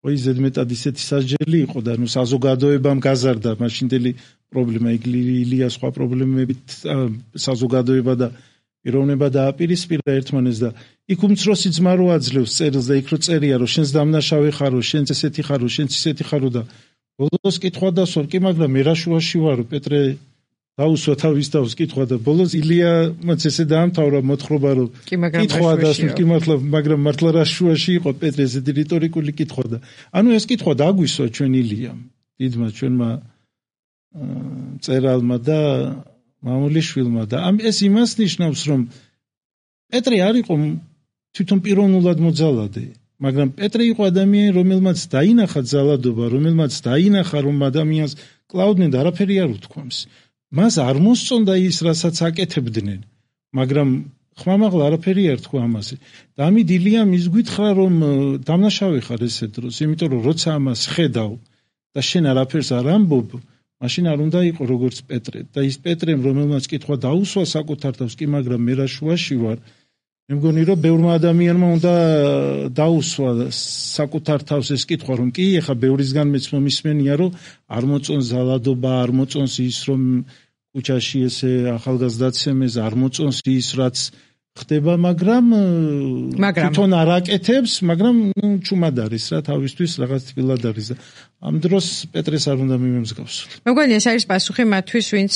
S2: ხო ის ზედმეტად ისეთი სასჯელი იყო და ნუ საზოგადოებამ გაზარდა მაშინდელი პრობლემა, იქ ილია სხვა პრობლემებით საზოგადოება და პიროვნება დააპირისპირა ერთმანეთს და იქ უმცროსი ძმა რო აძლევს წერილს და იქ რო წერია, რომ შენს დამნაშავე ხარო, შენც ესეთი ხარო, შენც ისეთი ხარო და ბოლოს კითხვა დასვარ, კი მაგრამ მე რა შუაში ვარო, პეტრე დაუსვა თავის თავს კითხვა და ბოლოს ილია მაც ესე დაამთავრა მოთხრობა, რომ კითხვა დასვარ, კი მართლა, მაგრამ მართლა რა შუაში იყო პეტრე, ესეთი რიტორიკული კითხვა და ანუ ეს კითხვა დაგვისვა ჩვენ ილიამ, დიდმა ჩვენმა წერალმა და მამულიშვილმა და ამ ეს იმას ნიშნავს, რომ პეტრე არ იყო თვითონ პიროვნულად მოძალადე, მაგრამ პეტრე იყო ადამიანი, რომელმაც დაინახა ძალადობა, რომელმაც დაინახა, რომ ადამიანს კლაუდნენ და არაფერი არ უთქვამს. მას არ მოსწონდა ის, რასაც აკეთებდნენ, მაგრამ ხმამაღლა არაფერი არ თქვა ამაზე. და ამით ილიამ ის გითხრა, რომ დამნაშავე ხარ ესე დროს, იმიტომ რომ როცა ამას ხედავ და შენ არაფერს არ ამბობ, მაშინ არ უნდა იყო როგორც პეტრე. და ის პეტრემ, რომელმაც კითხვა დაუსვა საკუთარ თავს, კი მაგრამ მე რა შუაში ვარ, მე მგონი რომ ბევრმა ადამიანმა უნდა დაუსვა საკუთარ თავს ეს კითხვა, რომ კი, ეხა ბევრისგან მეც მომისმენია, რომ არ მოწონს ზალადობა, არ მოწონს ის, რომ ქუჩაში ესე ახალგაზრდაცემეს, არ მოწონს ის, რაც ხდება, მაგრამ თვითონ არ აკეთებს, მაგრამ ნუ ჩუმად არის რა, თავისთვის რაღაც თბილად არის და ამ დროს პეტრეს არ უნდა მიმემსგავსო.
S1: მე მგონი ეს არის პასუხი მათთვის, ვინც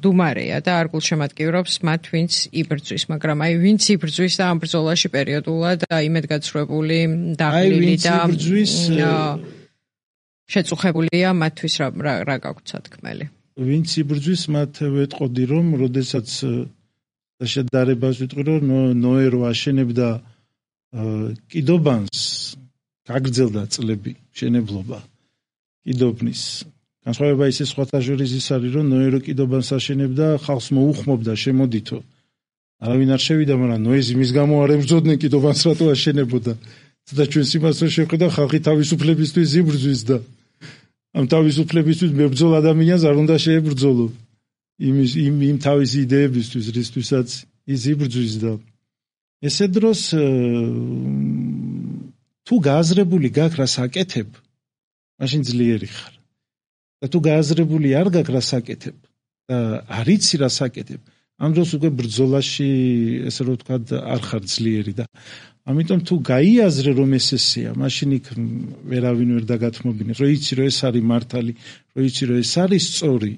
S1: დუმარეა და არ გულშემატკივრობს მათ, ვინც იბრძვის, მაგრამ აი ვინც იბრძვის და ამ ბრძოლაში პერიოდულად იმედგაცრუებული, დაღლილი და შეწუხებულია, მათთვის რა რა გაგვთ სათქმელი.
S2: ვინც იბრძვის, მათ ვეტყოდი, რომ როდესაც და შედარებას ვიტყვი, რომ ნოერო აშენებდა კიდობანს, გაგრძელდა წლები შენებლობა კიდობნის. განსხვავება ისე სხვათა შორის ის არის, რომ ნოერო კიდობანს აშენებდა, ხალხს მოუხმობდა შემოდითო. არავინ არ შევიდა, მაგრამ ნოეზი მის გამო არ ებრძოდნენ კიდობანს, რატო აშენებოდა. და ჩვენს იმას რო შევხედა, ხალხი თავისუფლებისთვის იბრძვის და ამ თავისუფლებისთვის მებრძოლ ადამიანს არ უნდა შეებრძოლო. იმის იმ იმ თავისი იდეებისთვის, რისთვისაც ის იბრძვის და ესე დროს თუ გააზრებული გაქვს რას აკეთებ, მაშინ ძლიერი ხარ. და თუ გააზრებული არ გაქვს რას აკეთებ და არ იცი რას აკეთებ, ამ დროს უკვე ბრძოლაში, ესე რომ ვთქვათ, არ ხარ ძლიერი და ამიტომ თუ გაიაზრე რომ ეს ესეა, მაშინ იქ ვერავინ ვერ დაგათმობინებს, რომ იცი რომ ეს არის მართალი, რომ იცი რომ ეს არის სწორი.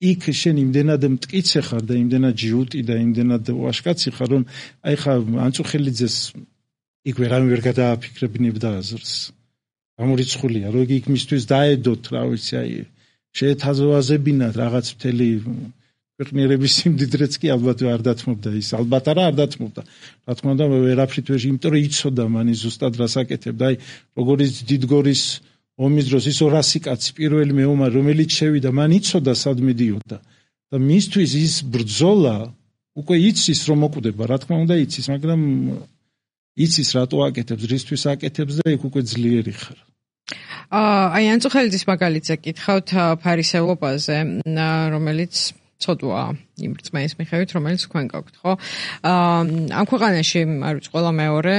S2: იქ შენ იმდენად მტკიცე ხარ და იმდენად ჯიუტი და იმდენად ვაშკაცი ხარ, რომ აი ხა ანწუხელიძეს იქ ვერავინ ვერ გადააფიქრებინებდა აზრს. გამორიცხულია, რომ იქ მისთვის დაედოთ, რა ვიცი, აი შეეთავაზებინათ რაღაც მთელი ქვეყნიერების სიმდიდრეც კი ალბათ არ დათმობდა ის, ალბათ არა არ დათმობდა. რა თქმა უნდა, ვერაფრით ვერ, იმიტომ რომ იცოდა მანი ზუსტად რას აკეთებდა, აი როგორც დიდგორის ომის დროს ის ორასი კაცი პირველი მეომარი, რომელიც შევიდა, მან იცოდა სად მიდიოდა და მისთვის ის ბრძოლა უკვე იცის რომ მოკვდება, რა თქმა უნდა იცის, მაგრამ იცის რატო აკეთებს, რისთვის აკეთებს და იქ უკვე ძლიერი ხარ.
S1: აი ანწუხელიძის მაგალითზე კითხავთ ფარისევლობაზე, რომელიც ცოდვაა იმ რწმენის მიხედვით, რომელიც თქვენ გაქვთ, ხო? ამ ქვეყანაში, არ ვიცი, ყველა მეორე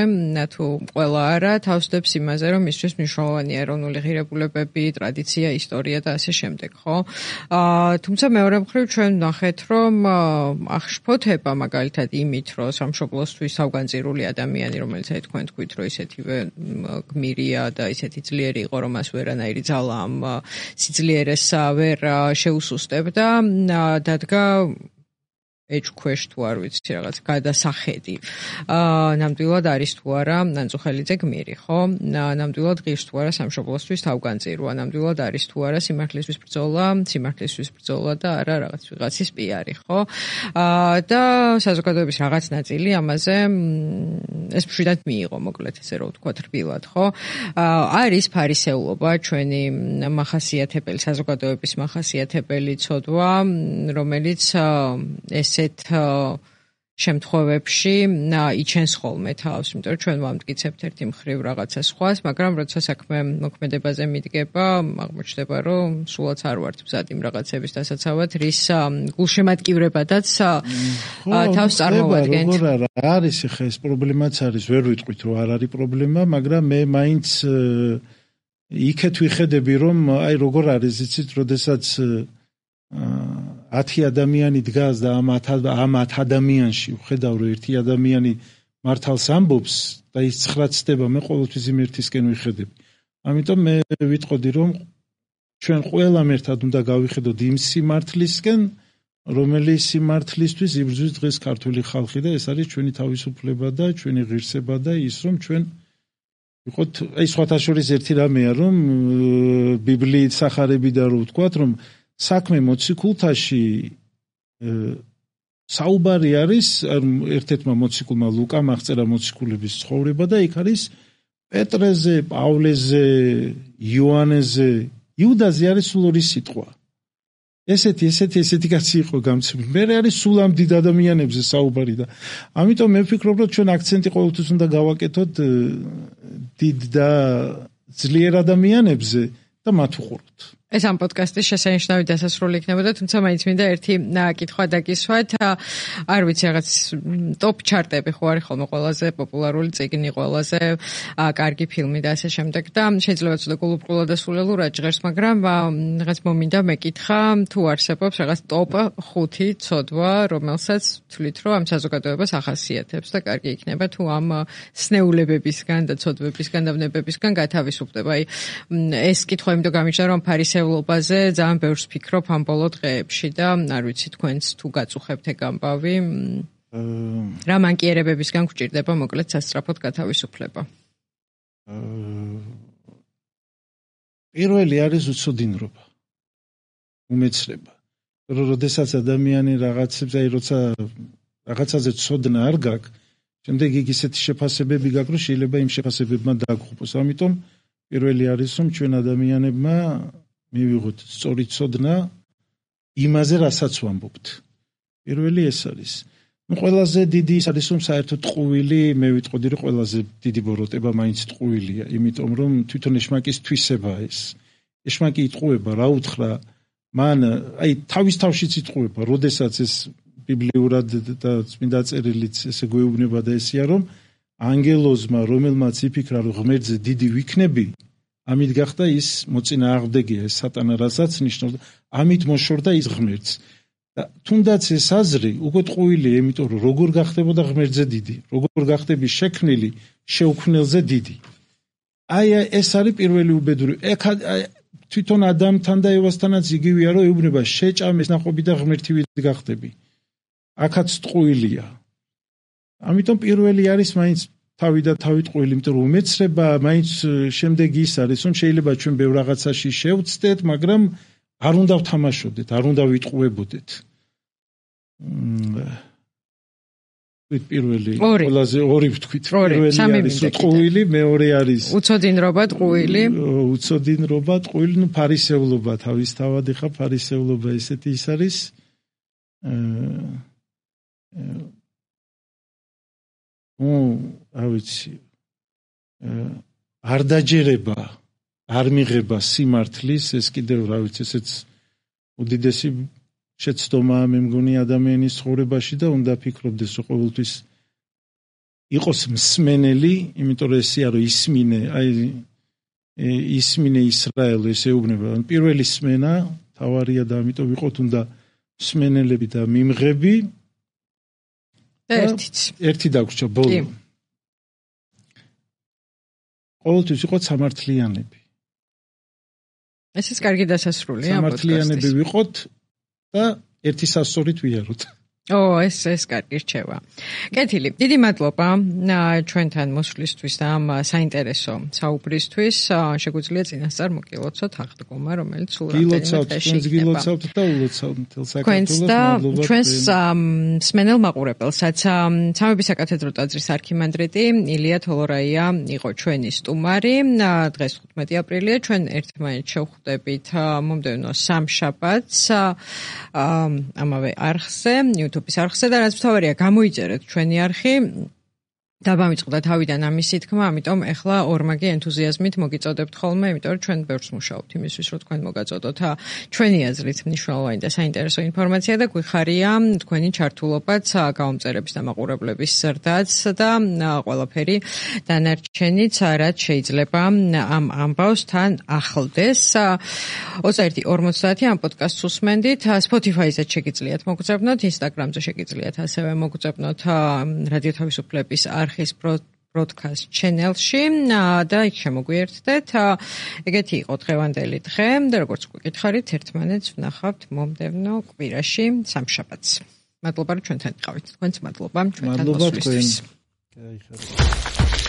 S1: თუ ყველა არა, თავს დებს იმაზე, რომ მისთვის მნიშვნელოვანია ეროვნული ღირებულებები, ტრადიცია, ისტორია და ასე შემდეგ, ხო? თუმცა მეორე მხრივ ჩვენ ვნახეთ, რომ აღშფოთება მაგალითად იმით, რომ სამშობლოსთვის თავგანწირული ადამიანი, რომელიც აი თქვენ თქვით, რომ ისეთივე გმირია და ისეთი ძლიერი იყო, რომ მას ვერანაირი ძალა ამ სიძლიერეს ვერ შეუსუსტებდა, დადგა ეჭქვეშ თუ არ ვიცი რაღაც გადასახედი. აა ნამდვილად არის თუ არა ნანწუხელიძე გმირი, ხო? ნამდვილად ღირს თუ არა სამშობლოსთვის თავგანწირვა, ნამდვილად არის თუ არა სიმართლისთვის ბრძოლა, სიმართლისთვის ბრძოლა და არა რაღაც ვიღაცის პიარი, ხო? აა და საზოგადოების რაღაც ნაწილი ამაზე ეს მშვიდად მიიღო, მოკლედ ესე რომ ვთქვათ რბილად, ხო? აა არის ფარისეულობა ჩვენი მახასიათებელი საზოგადოების მახასიათებელი ცოდვა, რომელიც ესეთ შემთხვევებში იჩენს ხოლმე თავს, იმიტომ რომ ჩვენ ვამტკიცებთ ერთი მხრივ რაღაცა სხვას, მაგრამ როცა საქმე მოქმედებაზე მიდგება, აღმოჩნდება, რომ სულაც არ ვართ მზად იმ რაღაცების დასაცავად, რის გულშემატკივრებადაც თავს წარმოვადგენთ.
S2: როგორ არა, არის ხა ეს პრობლემაც არის, ვერ ვიტყვით რომ არ არის პრობლემა, მაგრამ მე მაინც იქეთ ვიხედები, რომ აი როგორ არის, იცით, როდესაც ათი ადამიანი დგას და ამ ათ ადამიანში ვხედავ რომ ერთი ადამიანი მართალს ამბობს და ის ცხრა ცდება, მე ყოველთვის იმ ერთისკენ ვიხედები. ამიტომ მე ვიტყოდი რომ ჩვენ ყველამ ერთად უნდა გავიხედოთ იმ სიმართლისკენ, რომელიც სიმართლისთვის იბრძვის დღეს ქართული ხალხი და ეს არის ჩვენი თავისუფლება და ჩვენი ღირსება და ის რომ ჩვენ ვიყოთ, აი სხვათა შორის ერთი რამეა რომ ბიბლიით სახარები და რო ვთქვათ რომ საქმე მოციქულთაში საუბარი არის ერთ-ერთმა მოციქულმა ლუკამ აღწერა მოციქულების ცხოვრება და იქ არის პეტრეზე, პავლეზე, იოანეზე, იუდაზე არის სულ ორი სიტყვა. ესეთი, ესეთი, ესეთი კაცი იყო გამცემული. მე არის სულ ამ დიდ ადამიანებზე საუბარი და ამიტომ მე ვფიქრობ, რომ ჩვენ აქცენტი ყოველთვის უნდა გავაკეთოთ დიდ და ძლიერ ადამიანებზე და მათ უყუროთ.
S1: ეს ამ პოდკასტის შესანიშნავი დასასრული იქნებოდა, თუმცა მაინც მინდა ერთი კითხვა დაგისვათ. არ ვიცი, რაღაც ტოპ ჩარტები ხო არის ხოლმე ყველაზე პოპულარული წიგნი, ყველაზე კარგი ფილმი და ასე შემდეგ და შეიძლება ცოტა გულუბრყვილად და სულელურად ჟღერს, მაგრამ რაღაც მომინდა მეკითხა, თუ არსებობს რაღაც ტოპ ხუთი ცოდვა, რომელსაც თვლით, რომ ამ საზოგადოებას ახასიათებს და კარგი იქნება, თუ ამ სნეულებებისგან და ცოდვებისგან და ვნებებისგან გათავისუფლდება. აი ეს კითხვა იმდო გამიჩნდა, რომ ფარისეულობა ობაზე ძალიან ბევრს ფიქრობ ამ ბოლო დღეებში და არ ვიცი თქვენც თუ გაწუხებთ ეგ ამბავი რა მანკიერებებისგან გვჭირდება მოკლედ სასწრაფოდ გათავისუფლება.
S2: პირველი არის უცოდინრობა, უმეცრება. რომ როდესაც ადამიანი რაღაცებს, აი როცა რაღაცაზე ცოდნა არ გაქვს, შემდეგ იგი ისეთი შეფასებები გაქვს, რომ შეიძლება იმ შეფასებებმა დაგხვპოს. ამიტომ პირველი არის რომ ჩვენ ადამიანებმა მივიღოთ სწორი ცოდნა იმაზე, რასაც ვამბობთ. პირველი ეს არის. ნუ ყველაზე დიდი ის არის რომ საერთოდ ტყუილი, მე ვიტყოდი რომ ყველაზე დიდი ბოროტება მაინც ტყუილია, იმიტომ რომ თვითონ ეშმაკის თვისებაა ეს. ეშმაკი იტყუება, რა უთხრა, მან აი თავის თავშიც იტყუება, როდესაც ეს ბიბლიურად და წმინდა წერილიც ესე გვეუბნება და ესია რომ ანგელოზმა, რომელმაც იფიქრა რომ ღმერთზე დიდი ვიქნები, ამით გახდა ის მოწინააღმდეგეა, ეს სატანა რასაც ნიშნავს, ამით მოშორდა ის ღმერთს. და თუნდაც ეს აზრი უკვე ტყუილია, იმიტომ რომ როგორ გახდებოდა ღმერთზე დიდი, როგორ გახდები შექმნილი შეუქმნელზე დიდი. აი ეს არის პირველი უბედური. თვითონ ადამთან და ევასთანაც იგივეა, რომ ეუბნება შეჭამეს ნაყოფი და ღმერთივით გახდები. აქაც ტყუილია. ამიტომ პირველი არის მაინც თავი და თავი ტყუილი, იმიტომ რომ უმეცრება მაინც შემდეგი ის არის, რომ შეიძლება ჩვენ ბევრ რაღაცაში შევცდეთ, მაგრამ არ უნდა ვთამაშოდეთ, არ უნდა ვიტყუებოდეთ. პირველი, ყველაზე ორი ვთქვით, პირველი არის ტყუილი, მეორე არის
S1: უცოდინრობა, ტყუილი.
S2: უცოდინრობა, ტყუილი, ნუ ფარისეულობა თავისთავად, ხა ფარისეულობა ესეთი ის არის. ნუ, რა ვიცი, არ დაჯერება, არ მიღება სიმართლის, ეს კიდევ რა ვიცი, ესეც უდიდესი შეცდომაა მე მგონი ადამიანის ცხოვრებაში და უნდა ფიქრობდეს, რომ ყოველთვის იყოს მსმენელი, იმიტომ რომ ესეა რომ ისმინე, აი ისმინე ისრაელი, ეს ეუბნება. პირველი სმენა თავარია და ამიტომ ვიყოთ უნდა მსმენელები და მიმღები.
S1: ერთიც.
S2: ერთი დაგვრჩა ბოლო. ყოველთვის ვიყოთ სამართლიანები.
S1: ეს ის კარგი დასასრულია
S2: პოდკასტის. სამართლიანები ვიყოთ და ერთი სასწორით ვიაროთ.
S1: ო, ეს ეს კარგი რჩევა. კეთილი, დიდი მადლობა ჩვენთან მოსვლისთვის და ამ საინტერესო საუბრისთვის. შეგვიძლია წინასწარ მოგილოცოთ აღდგომა, რომელიც სულ რამდენიმე დღეში იქნება.
S2: გილოცავთ და ულოცავთ მთელ საქართველოს.
S1: მადლობა ჩვენს მსმენელ მაყურებელსაც. სამების საკათედრო ტაძრის არქიმანდრიტი ილია თოლორაია იყო ჩვენი სტუმარი. დღეს ხუთმეტი აპრილია. ჩვენ ერთმანეთს შევხვდებით მომდევნო სამშაბათს ამავე არხზე. YouTube-ის არხზე და რაც მთავარია გამოიწერეთ ჩვენი არხი დაბამიწყდა თავიდან ამისი თქმა, ამიტომ ეხლა ორმაგი ენთუზიაზმით მოგიწოდებთ ხოლმე, იმიტომ რომ ჩვენ ბევრს მუშაობთ იმისთვის, რომ თქვენ მოგაწოდოთ ჩვენი აზრით მნიშვნელოვანი და საინტერესო ინფორმაცია და გვიხარია თქვენი ჩართულობაც, გამომწერების და მაყურებლების ზრდაც და ყველაფერი დანარჩენიც, რაც შეიძლება ამ ამბავს თან ახლდეს. ოცდაერთი ორმოცდაათი ამ პოდკასტს უსმენდით, Spotify-ზე შეგიძლიათ მოგწებნოთ, Instagram-ზე შეგიძლიათ ასევე მოგწებნოთ რადიო თავისუფლების არხის broadcast channel-ში და იქ შემოგვიერთდეთ. ეგეთი იყო დღევანდელი დღე და როგორც გვიკითხარით, ერთმანეთს ვნახავთ მომდევნო კვირაში სამშაბათს. მადლობა რომ ჩვენთან იყავით. თქვენც მადლობა ჩვენთან მოსვლისთვის.
S2: მადლობა თქვენ.